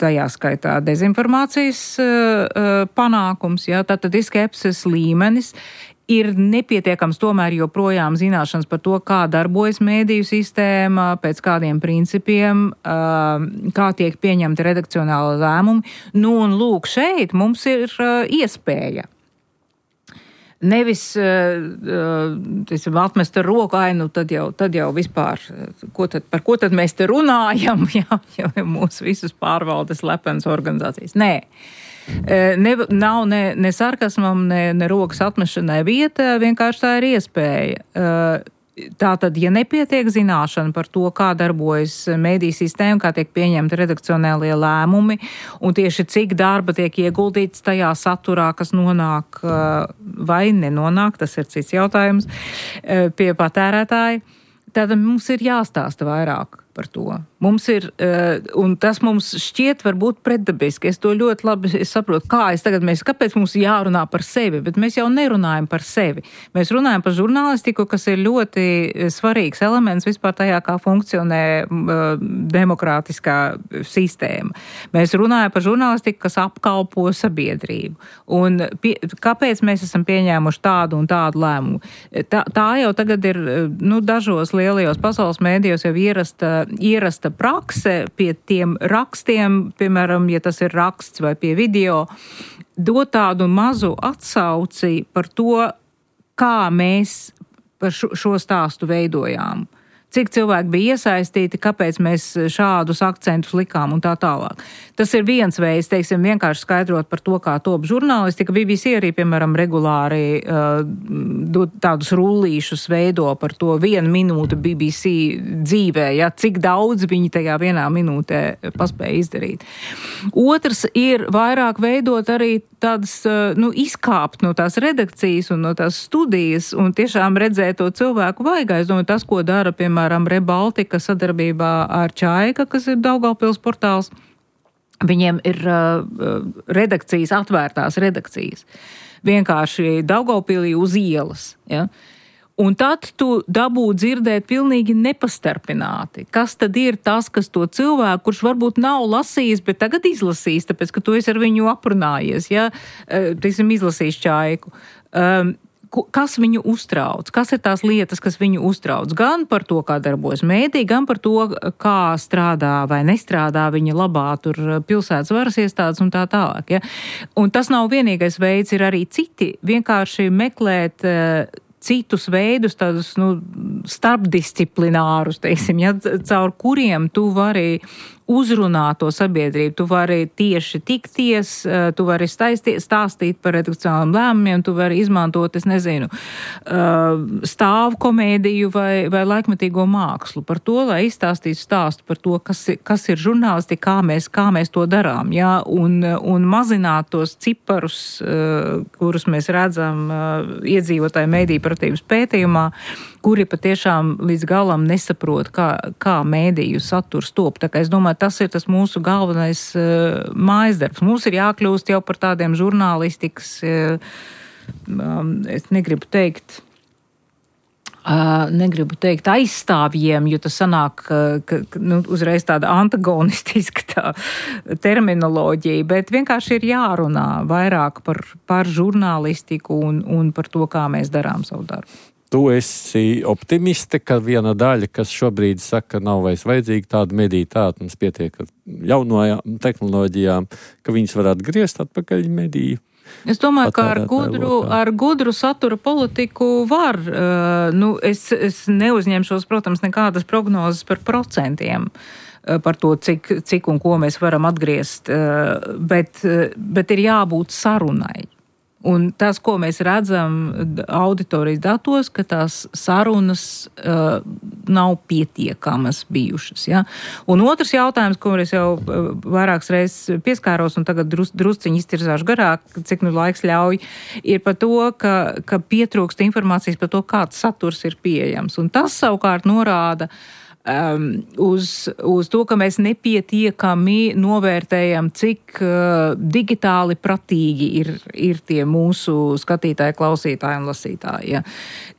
tajā skaitā dezinformācijas panākums, jā, tātad ir skepses līmenis. Ir nepietiekams tomēr joprojām zināšanas par to, kā darbojas mēdīju sistēma, pēc kādiem principiem, kā tiek pieņemta redakcionāla lēmumi. Nu, un lūk, šeit mums ir iespēja. Nevis teiksim, atmest ar roku, ai, nu tad jau, tad jau vispār, ko tad, par ko tad mēs te runājam, ja, ja mūsu visus pārvaldes slepenas organizācijas. Nē. Ne, nav ne, ne sarkasmam, ne, ne rokas atmešanai vieta, vienkārši tā ir iespēja. Tātad, ja nepietiek zināšana par to, kā darbojas mēdīju sistēma, kā tiek pieņemti redakcionālie lēmumi, un tieši cik darba tiek ieguldīts tajā saturā, kas nonāk vai nenonāk, tas ir cits jautājums, pie patērētāja, tad mums ir jāstāsta vairāk par to. Mums ir, un tas mums šķiet varbūt pretdabiski. Es to ļoti labi saprotu, kā es tagad mēs, kāpēc mums jārunā par sevi, bet mēs jau nerunājam par sevi. Mēs runājam par žurnālistiku, kas ir ļoti svarīgs elements vispār tajā, kā funkcionē demokrātiskā sistēma. Mēs runājam par žurnālistiku, kas apkalpo sabiedrību. Un pie, kāpēc mēs esam pieņēmuši tādu un tādu lēmumu? Tā, tā jau tagad ir, nu, dažos lielajos pasaules mēdījos jau ierasta ierasta prakse pie tiem rakstiem, piemēram, ja tas ir raksts vai pie video, dot tādu mazu atsauci par to, kā mēs par šo, šo stāstu veidojām. Cik cilvēki bija iesaistīti, kāpēc mēs šādus akcentus likām un tā tālāk. Tas ir viens veids, teiksim, vienkārši skaidrot par to, kā top žurnālistika. B B C arī, piemēram, regulāri uh, tādus rullīšus veido par to vienu minūtu B B C dzīvē, ja, cik daudz viņi tajā vienā minūtē paspēja izdarīt. Otrs ir vairāk veidot arī tādas, uh, nu, izkāpt no tās redakcijas un no tās studijas un tiešām redzēt to cilvēku vaigā. Es domāju, tas, ko dara, piemēram, Rebaltika sadarbībā ar Čaika, kas ir Daugavpils portāls. Viņiem ir uh, redakcijas, atvērtās redakcijas. Vienkārši Daugavpilī uz ielas. Ja? Un tad tu dabū dzirdēt pilnīgi nepastarpināti. Kas tad ir tas, kas to cilvēku, kurš varbūt nav lasījis, bet tagad izlasījis, tāpēc, ka tu esi ar viņu aprunājies, ja? Teiksim, izlasījis Čaiku. Um, Kas viņu uztrauc? Kas ir tās lietas, kas viņu uztrauc? Gan par to, kā darbojas mēdī, gan par to, kā strādā vai nestrādā viņa labā tur pilsētas varas iestādes un tā tālāk. Ja? Un tas nav vienīgais veids, ir arī citi vienkārši meklēt uh, citus veidus, tādus, nu, starpdisciplinārus, teiksim, ja, caur kuriem tu vari uzrunāt to sabiedrību, tu vari tieši tikties, tu vari staistīt, stāstīt par redakcionāliem lēmumiem, tu vari izmantot, es nezinu, stāvu komēdiju vai, vai laikmetīgo mākslu par to, lai izstāstītu stāstu par to, kas, kas ir žurnālisti, kā mēs, kā mēs to darām, jā, un, un mazināt tos ciparus, kurus mēs redzam iedzīvotāju mēdīju pratības pētījumā, kuri patiešām līdz galam nesaprot, kā, kā mēdīju saturs top. Tā kā es domāju, domāju, tas ir tas mūsu galvenais uh, mājasdarbs. Mums ir jākļūst jau par tādiem žurnālistikas, uh, um, es negribu teikt, Uh, negribu teikt aizstāvjiem, jo tas sanāk, ka, ka nu, uzreiz tāda antagonistiska tā terminoloģija, bet vienkārši ir jārunā vairāk par, par žurnālistiku un, un par to, kā mēs darām savu darbu. Tu esi optimiste, ka viena daļa, kas šobrīd saka, nav vairs vajadzīga tāda medija, tāda mums pietiek ar jaunajām tehnoloģijām, ka viņas varētu griezt atpakaļ mediju. Es domāju, ka ar gudru, ar gudru satura politiku var, uh, nu, es, es neuzņemšos, protams, nekādas prognozes par procentiem, uh, par to, cik, cik un ko mēs varam atgriezt, uh, bet, uh, bet ir jābūt sarunai. Un tas, ko mēs redzam auditorijas datos, ka tās sarunas uh, nav pietiekamas bijušas. Ja? Un otrs jautājums, ko es jau uh, vairākas reizes pieskāros un tagad drus, drusciņi iztirzāšu garāk, cik nu laiks ļauj, ir par to, ka, ka pietrūkst informācijas par to, kāds saturs ir pieejams. Un tas savukārt norāda Um, uz, uz to, ka mēs nepietiekami novērtējam, cik uh, digitāli pratīgi ir, ir tie mūsu skatītāji, klausītāji un lasītāji. Ja.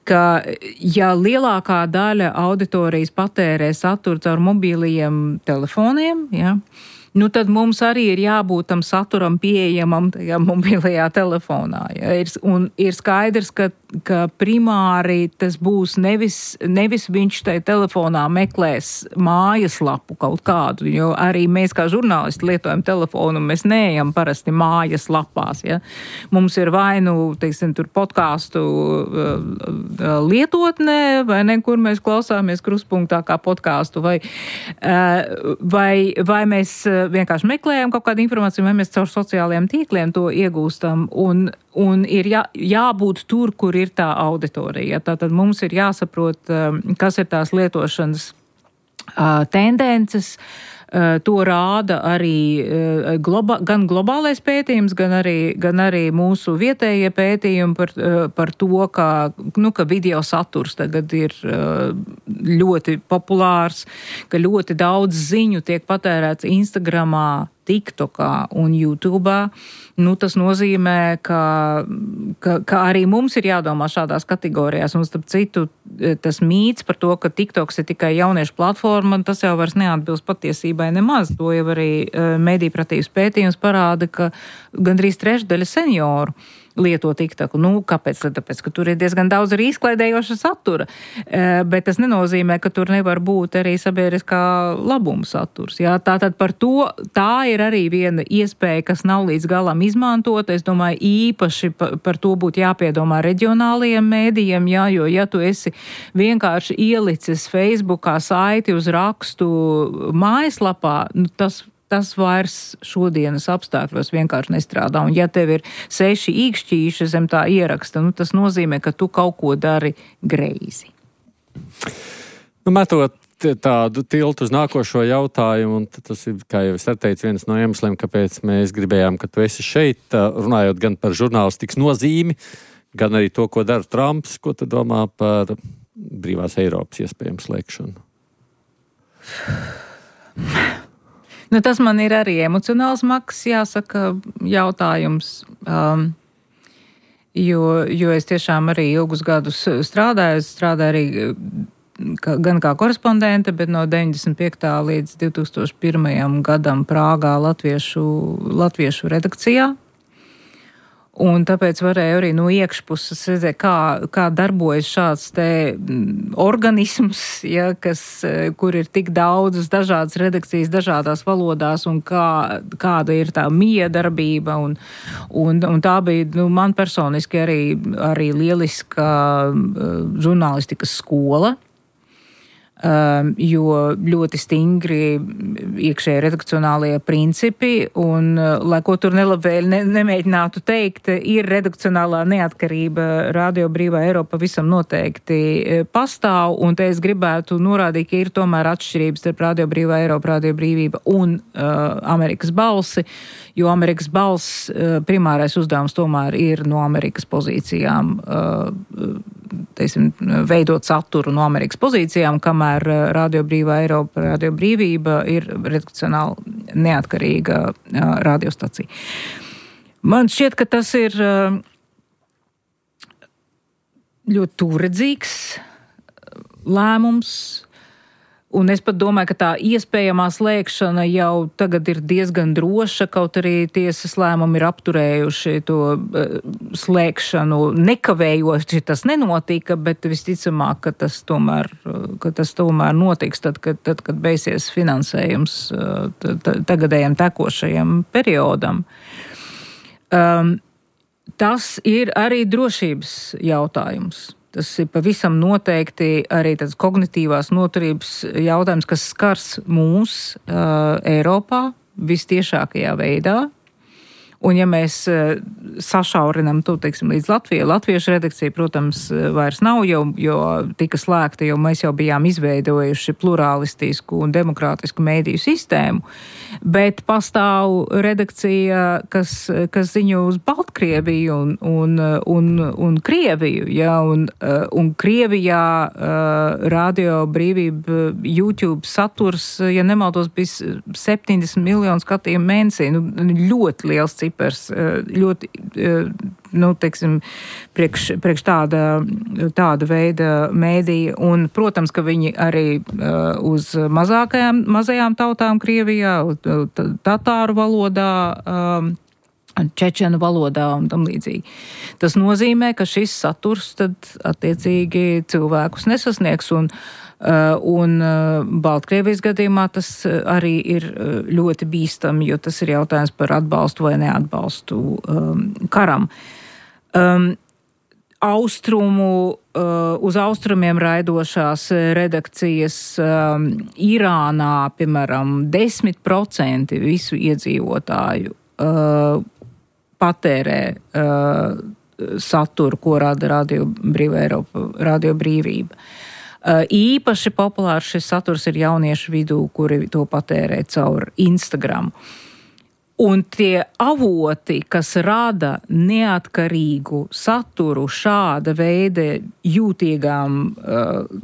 Ka, ja lielākā daļa auditorijas patērē saturu caur mobīlajiem telefoniem, ja, nu tad mums arī ir jābūt tam saturam pieejamam tajā mobilajā telefonā. Ja? Ir, un ir skaidrs, ka, ka primāri tas būs nevis, nevis viņš tai telefonā meklēs mājaslapu kaut kādu, jo arī mēs kā žurnālisti lietojam telefonu, un mēs neejam parasti mājaslapās. Ja? Mums ir vai nu, teiksim, tur podcastu uh, lietotnē, vai ne, kur mēs klausāmies krustpunktā kā podcastu, vai, uh, vai, vai mēs vienkārši meklējam kaut kādu informāciju, vai mēs caur sociālajiem tīkliem to iegūstam, un, un ir jā, jābūt tur, kur ir tā auditorija. Tātad mums ir jāsaprot, kas ir tās lietošanas uh, tendences. Uh, to rāda arī uh, globa, gan globālais pētījums, gan arī, gan arī mūsu vietējie pētījumi par, uh, par to, ka, nu, ka video saturs tagad ir uh, ļoti populārs, ka ļoti daudz ziņu tiek patērēts Instagramā, TikTokā un YouTube'ā. Nu, tas nozīmē, ka, ka, ka arī mums ir jādomā šādās kategorijās. Un starp citu, tas mīts par to, ka TikToks ir tikai jauniešu platforma, tas jau vairs neatbilst patiesībai nemaz. To jau arī medijpratīvs pētījums parāda, ka gandrīz trešdaļa senioru lieto TikToku. Nu, kāpēc? Tāpēc, ka tur ir diezgan daudz arī izklaidējoša satura. E, bet tas nenozīmē, ka tur nevar būt arī sabiedriskā labuma saturs. Jā, tātad par to, tā ir arī viena iespēja, kas nav līdz galam izmantota. Es domāju, īpaši par, par to būtu jāpiedomā reģionālajiem mēdījiem, jā, jo ja tu esi vienkārši ielicis Facebookā saiti uz rakstu mājaslapā, nu, tas tas vairs šodienas apstākļos vienkārši nestrādā. Un ja tev ir seši īkšķīši zem tā ieraksta, nu, tas nozīmē, ka tu kaut ko dari greizi. Nu, metot tādu tiltu uz nākošo jautājumu, un tas ir, kā jau es teicu, viens no iemesliem, kāpēc mēs gribējām, ka tu esi šeit, runājot gan par žurnālistikas nozīmi, gan arī to, ko dara Trumps, ko tu domā par brīvās Eiropas iespējams slēgšanu. Nu, tas man ir arī emocionāls maks, jāsaka, jautājums, um, jo, jo es tiešām arī ilgus gadus strādāju, es strādāju arī ka, gan kā korespondente, bet no deviņdesmit piektā līdz divi tūkstoši pirmajam gadam Prāgā latviešu, latviešu redakcijā. Un tāpēc varēju arī no iekšpuses redzēt, kā, kā darbojas šāds te organisms, ja, kas, kur ir tik daudzas dažādas redakcijas, dažādās valodās, un kā, kāda ir tā miedarbība. Un, un, un tā bija, nu, man personiski arī, arī lieliska žurnālistikas skola. Um, jo ļoti stingri iekšēji redakcionālie principi, un, uh, lai ko tur nelabvēļ ne, nemēģinātu teikt, ir redakcionālā neatkarība Radio Brīvā Eiropa visam noteikti pastāv, un te es gribētu norādīt, ka ir tomēr atšķirības starp Radio Brīvā Eiropa, Radio Brīvība un uh, Amerikas balsi, jo Amerikas balss uh, primārais uzdevums tomēr ir no Amerikas pozīcijām uh, teiksim, veidot saturu no Amerikas pozīcijām, kamēr Radio Brīvā Eiropa, Radio Brīvība ir redakcionāli neatkarīga radiostacija. Man šķiet, ka tas ir ļoti tūredzīgs lēmums. Un es pat domāju, ka tā iespējamā slēgšana jau tagad ir diezgan droša, kaut arī tiesas lēmumi ir apturējuši to uh, slēgšanu. Nekavējoši tas nenotika, bet visticamāk, ka tas tomēr, ka tas tomēr notiks tad, kad, tad, kad beigsies finansējums uh, tagadējam tekošajam periodam. Um, tas ir arī drošības jautājums. Tas ir pavisam noteikti arī tāds kognitīvās noturības jautājums, kas skars mūs uh, Eiropā vistiešākajā veidā. Un ja mēs uh, sašaurinam to, teiksim, līdz Latvijai, latviešu redakcija, protams, vairs nav, jo, jo tika slēgta, jo mēs jau bijām izveidojuši plurālistisku un demokrātisku mēdīju sistēmu, bet pastāv redakcija, kas, kas ziņo uz Baltkrieviju un, un, un, un Krieviju, ja, un, un Krievijā uh, Radio Brīvība YouTube saturs, ja nemaldos, bija septiņdesmit miljonu skatījumu mēnesī, nu, ļoti liels cipars, ļoti, nu, teiksim, priekš, priekš tāda, tāda veida mēdīja, un, protams, ka viņi arī uh, uz mazākajām, mazajām tautām Krievijā, tatāru valodā, um, čečenu valodā un tam līdzīgi. Tas nozīmē, ka šis saturs tad attiecīgi cilvēkus nesasniegs, un Uh, un uh, Baltkrievijas gadījumā tas arī ir ļoti bīstami, jo tas ir jautājums par atbalstu vai neatbalstu um, karam. Um, austrumu, uh, uz austrumiem raidošās redakcijas um, Irānā, piemēram, desmit procenti visu iedzīvotāju uh, patērē uh, saturu, ko rada Radio Brīvā Eiropa, Radio Brīvība. Īpaši populārs šis saturs ir jauniešu vidū, kuri to patērē caur Instagram. Un tie avoti, kas rada neatkarīgu saturu šāda veida jūtīgām,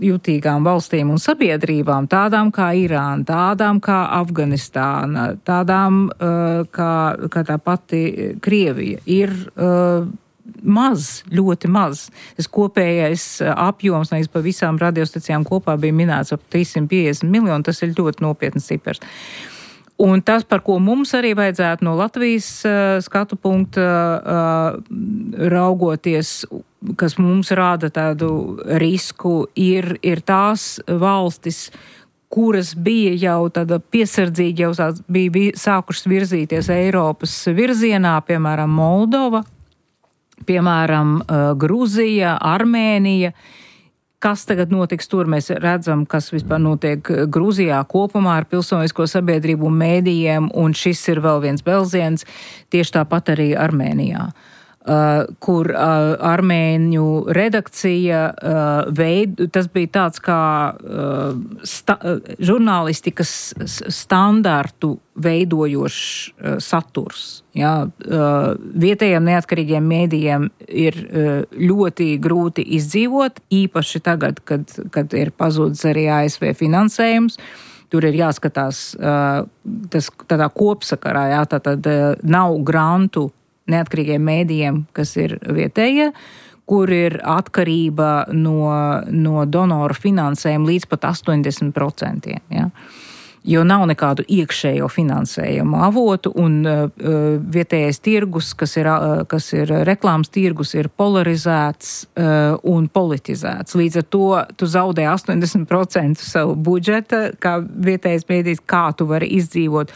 jūtīgām valstīm un sabiedrībām, tādām kā Irāna, tādām kā Afganistāna, tādām kā, kā tā pati Krievija, ir maz, ļoti maz. Tas kopējais apjoms nevis pa visām radiostacijām kopā bija minēts ap trīssimt piecdesmit miljoni, tas ir ļoti nopietns cipars. Un tas, par ko mums arī vajadzētu no Latvijas uh, skatu punkta uh, raugoties, kas mums rāda tādu risku, ir, ir tās valstis, kuras bija jau tāda piesardzīgi, jau bija sākušas virzīties Eiropas virzienā, piemēram, Moldova, piemēram, Gruzija, Armēnija. Kas tagad notiks tur? Mēs redzam, kas vispār notiek Gruzijā kopumā ar pilsonisko sabiedrību un mēdījiem, un šis ir vēl viens belziens, tieši tāpat arī Armēnijā. Uh, kur uh, armēņu redakcija uh, veid, tas bija tāds kā uh, sta, uh, žurnālistikas standartu veidojošs uh, saturs. Jā, uh, vietējiem neatkarīgiem mēdījiem ir uh, ļoti grūti izdzīvot, īpaši tagad, kad, kad ir pazudis arī A S V finansējums. Tur ir jāskatās uh, tas tādā kopsakarā, jā, tātad uh, nav grantu neatkarīgiem mēdījiem, kas ir vietējie, kur ir atkarība no, no donoru finansējuma līdz pat astoņdesmit procentiem. Ja? Jo nav nekādu iekšējo finansējumu avotu, un uh, vietējais tirgus, kas ir, uh, kas ir reklāmas tirgus, ir polarizēts uh, un politizēts. Līdz ar to tu zaudē astoņdesmit procenti savu budžeta, kā vietējais mēdījis, kā tu vari izdzīvot.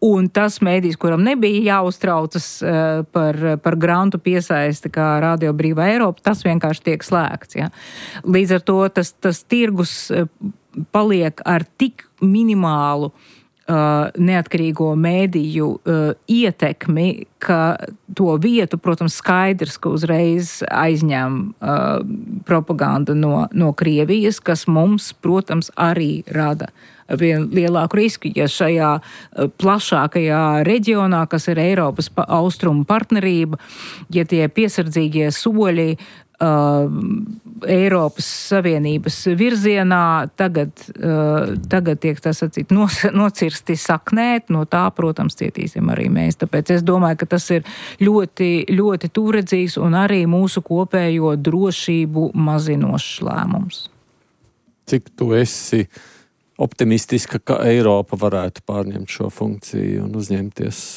Un tas mēdījis, kuram nebija jāuztraucas uh, par, par grantu piesaisti kā Radio Brīvā Eiropa, tas vienkārši tiek slēgts. Ja? Līdz ar to tas, tas tirgus uh, paliek ar tik minimālu uh, neatkarīgo mēdīju uh, ietekmi, ka to vietu, protams, skaidrs, ka uzreiz aizņem uh, propaganda no, no Krievijas, kas mums, protams, arī rada vien lielāku risku, ja šajā plašākajā reģionā, kas ir Eiropas austrumu partnerība, ja tie piesardzīgie soļi Uh, Eiropas Savienības virzienā tagad, uh, tagad tiek tas atsīt nos, nocirsti saknēt, no tā, protams, cietīsim arī mēs. Tāpēc es domāju, ka tas ir ļoti, ļoti tūredzīgs un arī mūsu kopējo drošību mazinošs lēmums. Cik tu esi optimistiska, ka Eiropa varētu pārņemt šo funkciju un uzņemties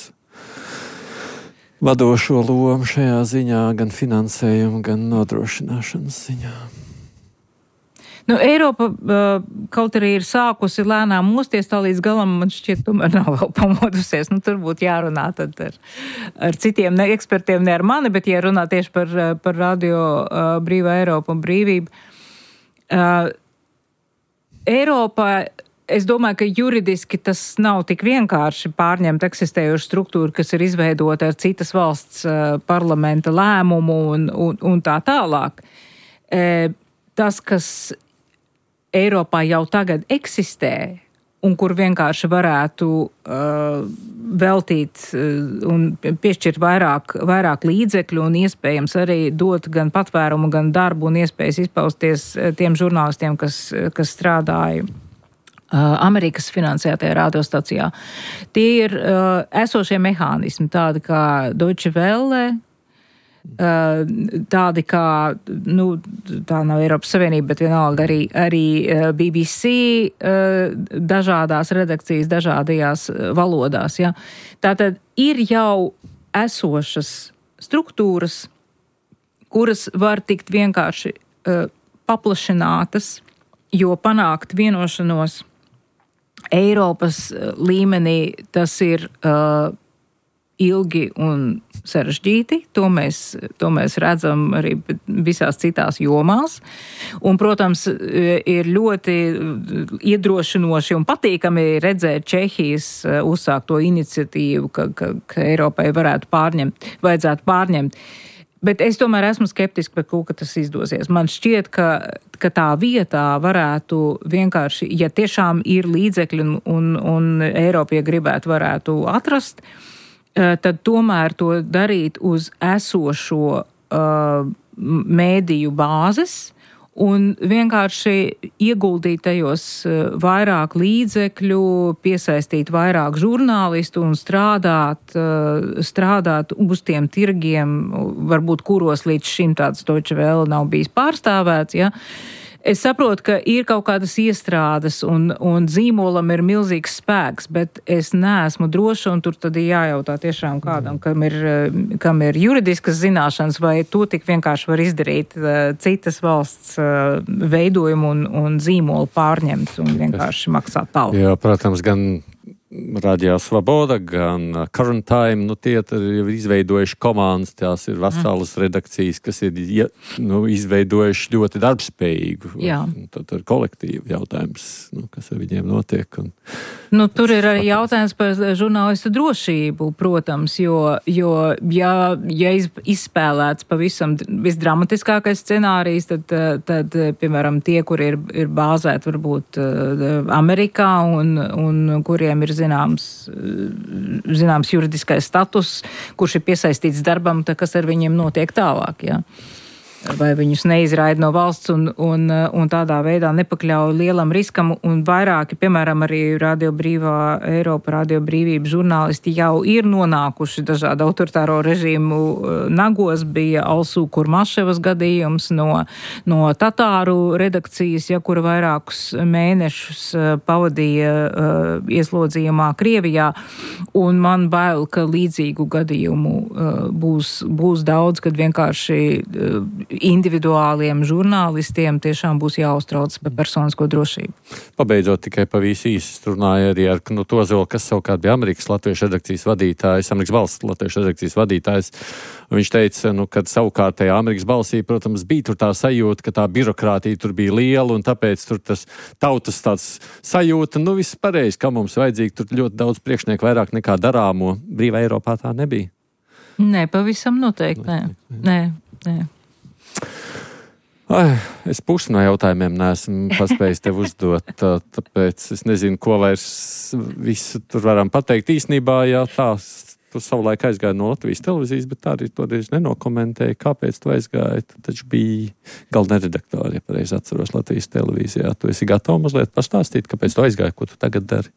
vadošo lomu šajā ziņā, gan finansējumu, gan nodrošināšanas ziņā? Nu, Eiropa kaut arī ir sākusi lēnām mosties, tā līdz galam man šķiet tomēr nav vēl pamodusies. Nu, tur būtu jārunā tad ar, ar citiem ne ekspertiem, ne ar mani, bet jārunā tieši par, par radio uh, Brīvā Eiropa un brīvību. Uh, Eiropa, es domāju, ka juridiski tas nav tik vienkārši pārņemt eksistējošu struktūru, kas ir izveidota ar citas valsts uh, parlamenta lēmumu un, un, un tā tālāk. Uh, tas, kas Eiropā jau tagad eksistē un kur vienkārši varētu uh, veltīt uh, un piešķirt vairāk, vairāk līdzekļu un iespējams arī dot gan patvērumu, gan darbu un iespējas izpausties tiem žurnālistiem, kas, kas strādāja Amerikas finansētajā radiostacijā. Tie ir uh, esošie mehānismi, tādi kā Deutsche Welle, uh, tādi kā, nu, tā nav Eiropas Savienība, bet vienalga arī, arī uh, B B C, uh, dažādās redakcijas, dažādajās valodās. Ja? Tātad ir jau esošas struktūras, kuras var tikt vienkārši uh, paplašinātas, jo panākt vienošanos Eiropas līmenī tas ir uh, ilgi un sarežģīti. To mēs, to mēs redzam arī visās citās jomās. Un, protams, ir ļoti iedrošinoši un patīkami redzēt Čehijas uzsākto iniciatīvu, ka, ka, ka Eiropai varētu pārņemt, vajadzētu pārņemt. Bet es tomēr esmu skeptiski par to, ka tas izdosies. Man šķiet, ka, ka tā vietā varētu vienkārši, ja tiešām ir līdzekļi un, un, un Eiropa, ja gribētu, varētu atrast, tad tomēr to darīt uz esošo uh, mēdīju bāzes un vienkārši ieguldīt tajos vairāk līdzekļu, piesaistīt vairāk žurnālistu un strādāt, strādāt uz tiem tirgiem, varbūt kuros līdz šim tāds Deutsche Welle nav bijis pārstāvēts, ja. Es saprotu, ka ir kaut kādas iestrādes un, un zīmolam ir milzīgs spēks, bet es neesmu droša un tur tad ir jājautā tiešām kādam, kam ir, kam ir juridiskas zināšanas, vai to tik vienkārši var izdarīt uh, citas valsts uh, veidojumu un, un zīmolu pārņemt un vienkārši maksāt tālu. Jā, protams, gan Radio Svoboda, gan Current Time, nu tie ir izveidojuši komandas, tās ir veselas mm. redakcijas, kas ir ja, nu, izveidojuši ļoti darbspējīgu. Jā. Tad ir kolektīvu jautājums, nu, kas ar viņiem notiek. Un... Nu, tur ir arī jautājums par žurnālistu drošību, protams, jo, jo ja, ja izspēlēts pavisam visdramatiskākais scenārijs, tad, tad, piemēram, tie, kuri ir, ir bāzēti varbūt Amerikā un, un kuriem ir zināms, zināms juridiskais status, kurš ir piesaistīts darbam, tā kas ar viņiem notiek tālāk, jā. Vai viņus neizraida no valsts un, un, un tādā veidā nepakļauj lielam riskam, un vairāki, piemēram, arī Radio Brīvā Eiropa, Radio Brīvība žurnālisti jau ir nonākuši dažādu autoritāro režīmu nagos. Bija Alsū Kurmaševas gadījums no, no Tatāru redakcijas, ja, kura vairākus mēnešus pavadīja uh, ieslodzījumā Krievijā, un man bail, ka līdzīgu gadījumu uh, būs, būs daudz, kad vienkārši uh, individuāliem žurnālistiem tiešām būs jāuztrauc par personisko drošību. Pabeidzot tikai pavisam īsi, runāja arī ar Knutu Ozolu, kas savukārt bija Amerikas latviešu redakcijas vadītājs, Amerikas Balss latviešu redakcijas vadītājs. Viņš teica, nu, kad savukārt tajā Amerikas Balsī, protams, bija tur tā sajūta, ka tā birokrātija tur bija liela, un tāpēc tur tas tautas tāds sajūta, nu, viss pareizi, ka mums vajadzīgi tur ļoti daudz priekšnieku vairāk nekā darāmo. Brīvā Eiropā tā nebija? Nē, pavisam noteikti, nē. Nē, nē. Ai, es pusi no jautājumiem neesmu paspējis tev uzdot, tā, tāpēc es nezinu, ko vairs visu tur varam pateikt. Īsnībā, jā, tā tu savulaik aizgāji no Latvijas televīzijas, bet tā arī toreiz nenokomentēji, kāpēc tu aizgāji. Tu taču biji galvenā redaktora, ja pareizi atceros Latvijas televīzijā. Tu esi gatava mazliet pastāstīt, kāpēc tu aizgāji, ko tu tagad dari?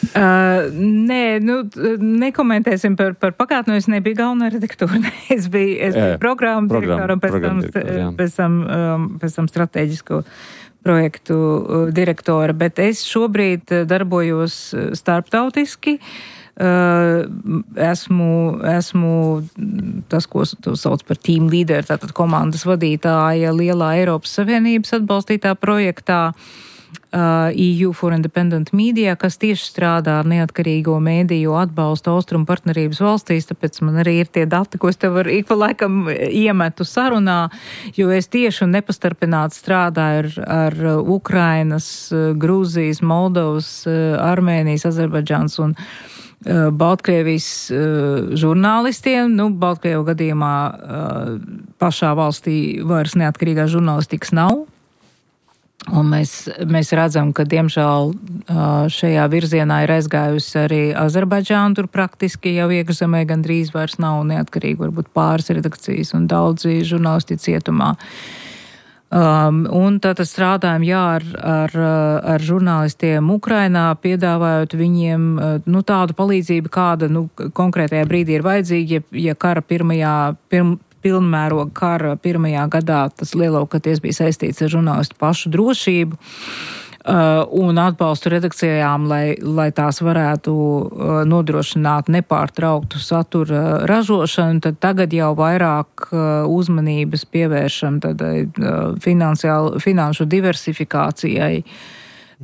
Uh, nē, nu, nekomentēsim par, par pagātni, es nebiju galvenā redaktora. es biju, es biju programmu direktora un pēc tam, pēc tam, um, pēc tam strateģisko projektu direktora, bet es šobrīd darbojos starptautiski. Uh, esmu, esmu tas, ko tu sauc par team leader, tātad komandas vadītāja lielā Eiropas Savienības atbalstītā projektā Uh, E U for Independent Media, kas tieši strādā ar neatkarīgo mēdīju atbalstu austrumu partnerības valstīs, tāpēc man arī ir tie dati, ko es tev var ik pa laikam iemetu sarunā, jo es tieši un nepastarpināti strādāju ar, ar Ukrainas, Grūzijas, Moldovas, Armēnijas, Azerbaidžāns un uh, Baltkrievijas uh, žurnālistiem. Nu, Baltkrievu gadījumā uh, pašā valstī vairs neatkarīgā žurnālistikas nav. Un mēs, mēs redzam, ka diemžēl šajā virzienā ir aizgājusi arī Azerbaidžāna, tur praktiski jau iekšzemē gandrīz vairs nav neatkarīgi, varbūt pāris redakcijas un daudzi žurnālisti cietumā. Um, un tātad strādājam, jā, ar, ar, ar žurnālistiem Ukrainā, piedāvājot viņiem nu, tādu palīdzību, kāda nu, konkrētajā brīdī ir vajadzīga, ja, ja kara pirmajā, pirm, pilnmēroga kara pirmajā gadā tas lielākoties bija saistīts ar žurnālistu pašu drošību uh, un atbalstu redakcijām, lai, lai tās varētu uh, nodrošināt nepārtrauktu satura ražošanu, tad tagad jau vairāk uh, uzmanības pievēršam tad, uh, finanšu diversifikācijai,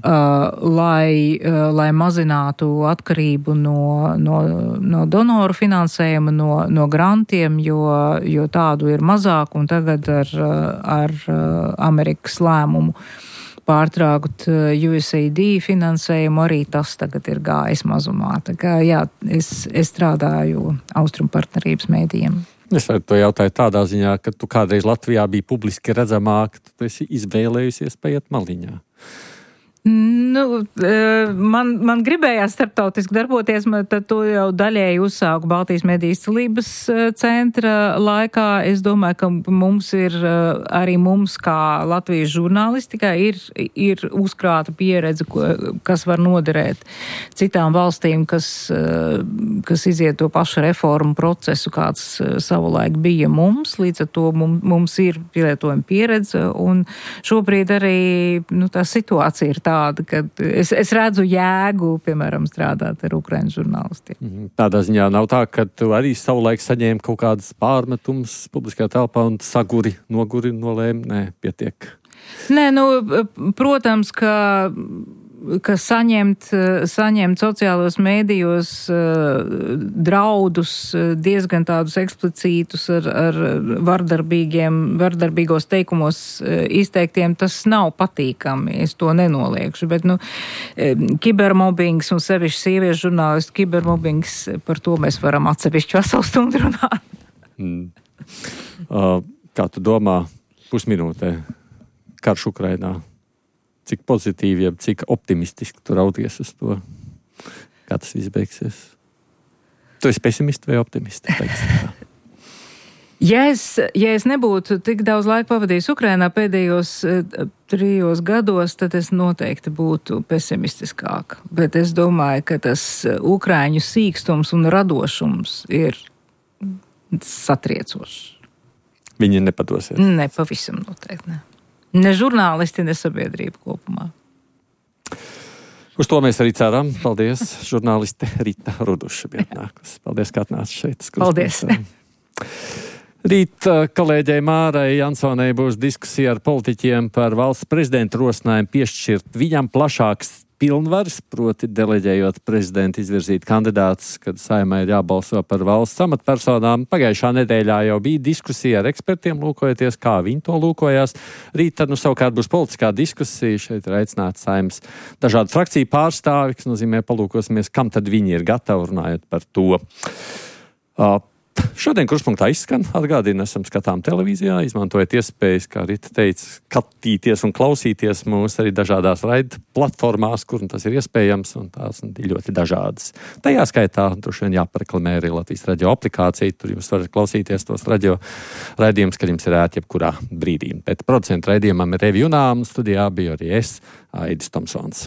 Uh, lai, uh, lai mazinātu atkarību no, no, no donoru finansējuma, no, no grantiem, jo, jo tādu ir mazāk, un tagad ar, ar Amerikas lēmumu pārtraukt U S A I D finansējumu arī tas tagad ir gājis mazumā. Tā kā, jā, es, es strādāju Austrumu partnerības mēdījiem. Es to jautāju tādā ziņā, ka tu kādreiz Latvijā biji publiski redzamāk, tu esi izvēlējusies paiet maliņā. Nu, man, man gribējās starptautiski darboties, tad to jau daļēji uzsāku Baltijas mediju izcilības centra laikā. Es domāju, ka mums ir, arī mums kā Latvijas žurnālistikā ir, ir uzkrāta pieredze, kas var noderēt citām valstīm, kas, kas iziet to pašu reformu procesu, kāds savulaik bija mums. Līdz ar to mums, mums ir pielietojuma pieredze, un šobrīd arī nu, tā situācija ir tā, tāda, ka es, es redzu jēgu, piemēram, strādāt ar Ukrainas žurnālistiem. Tādā ziņā nav tā, ka tu arī savulaik saņēmi kaut kādas pārmetumus publiskajā telpā un saguri, noguri, nolēmi? Nē, pietiek. Nē, nu, protams, ka ka saņemt, saņemt sociālos mēdījos draudus diezgan tādus eksplicītus ar, ar vardarbīgiem, vardarbīgos teikumos izteiktiem, tas nav patīkami, es to nenoliekšu, bet, nu, kibermobbings un sevišķi sieviešu žurnālistu kibermobbings, par to mēs varam atsevišķi veselu stundu runāt. Mm. Uh, kā tu domā pusminūtē karš Ukrainā? Cik pozitīvi, ja cik optimistiski tu rauties uz to, kā tas viss beigsies? Tu esi pesimisti vai optimisti? Ja es, ja es nebūtu tik daudz laika pavadījis Ukrainā pēdējos trijos gados, tad es noteikti būtu pesimistiskāk. Bet es domāju, ka tas ukraiņu sīkstums un radošums ir satriecošs. Viņi nepadosies? Ne, pavisam noteikti ne. Ne žurnālisti, ne sabiedrība kopumā. Uz to mēs arī ceram. Paldies, žurnāliste Rita Ruduša bija atnākusi. Paldies, ka atnāc šeit. Paldies. Rīt kolēģei Mārai Jansonei būs diskusija ar politiķiem par valsts prezidenta rosinājumu piešķirt viņam plašāks pilnvaras, proti deleģējot prezidentu izvirzīt kandidātus, kad Saeimai ir jābalso par valsts amatpersonām. Pagājušā nedēļā jau bija diskusija ar ekspertiem, lūkojoties, kā viņi to lūkojās. Rīt tad nu savukārt būs politiskā diskusija, šeit ir aicināts Saeimas dažādu frakciju pārstāvi, kas nozīmē palūkosimies, kam tad viņi ir gatavi runājot par to. Uh, Šodien Krustpunktā izskan. Atgādina, esam skatām televīzijā, izmantojot iespējas, kā Rita teica, skatīties un klausīties mūs arī dažādās raida platformās, kur tas ir iespējams, un tās ir ļoti dažādas. Tajā skaitā droši vien jāpareklamē arī Latvijas radio aplikācija, tur jūs varat klausīties tos radio raidījumus, kad jums ir ērti jebkurā brīdī. Bet producentu raidījumam ir Revi Junām, studijā biju arī es, Aidis Tomsons.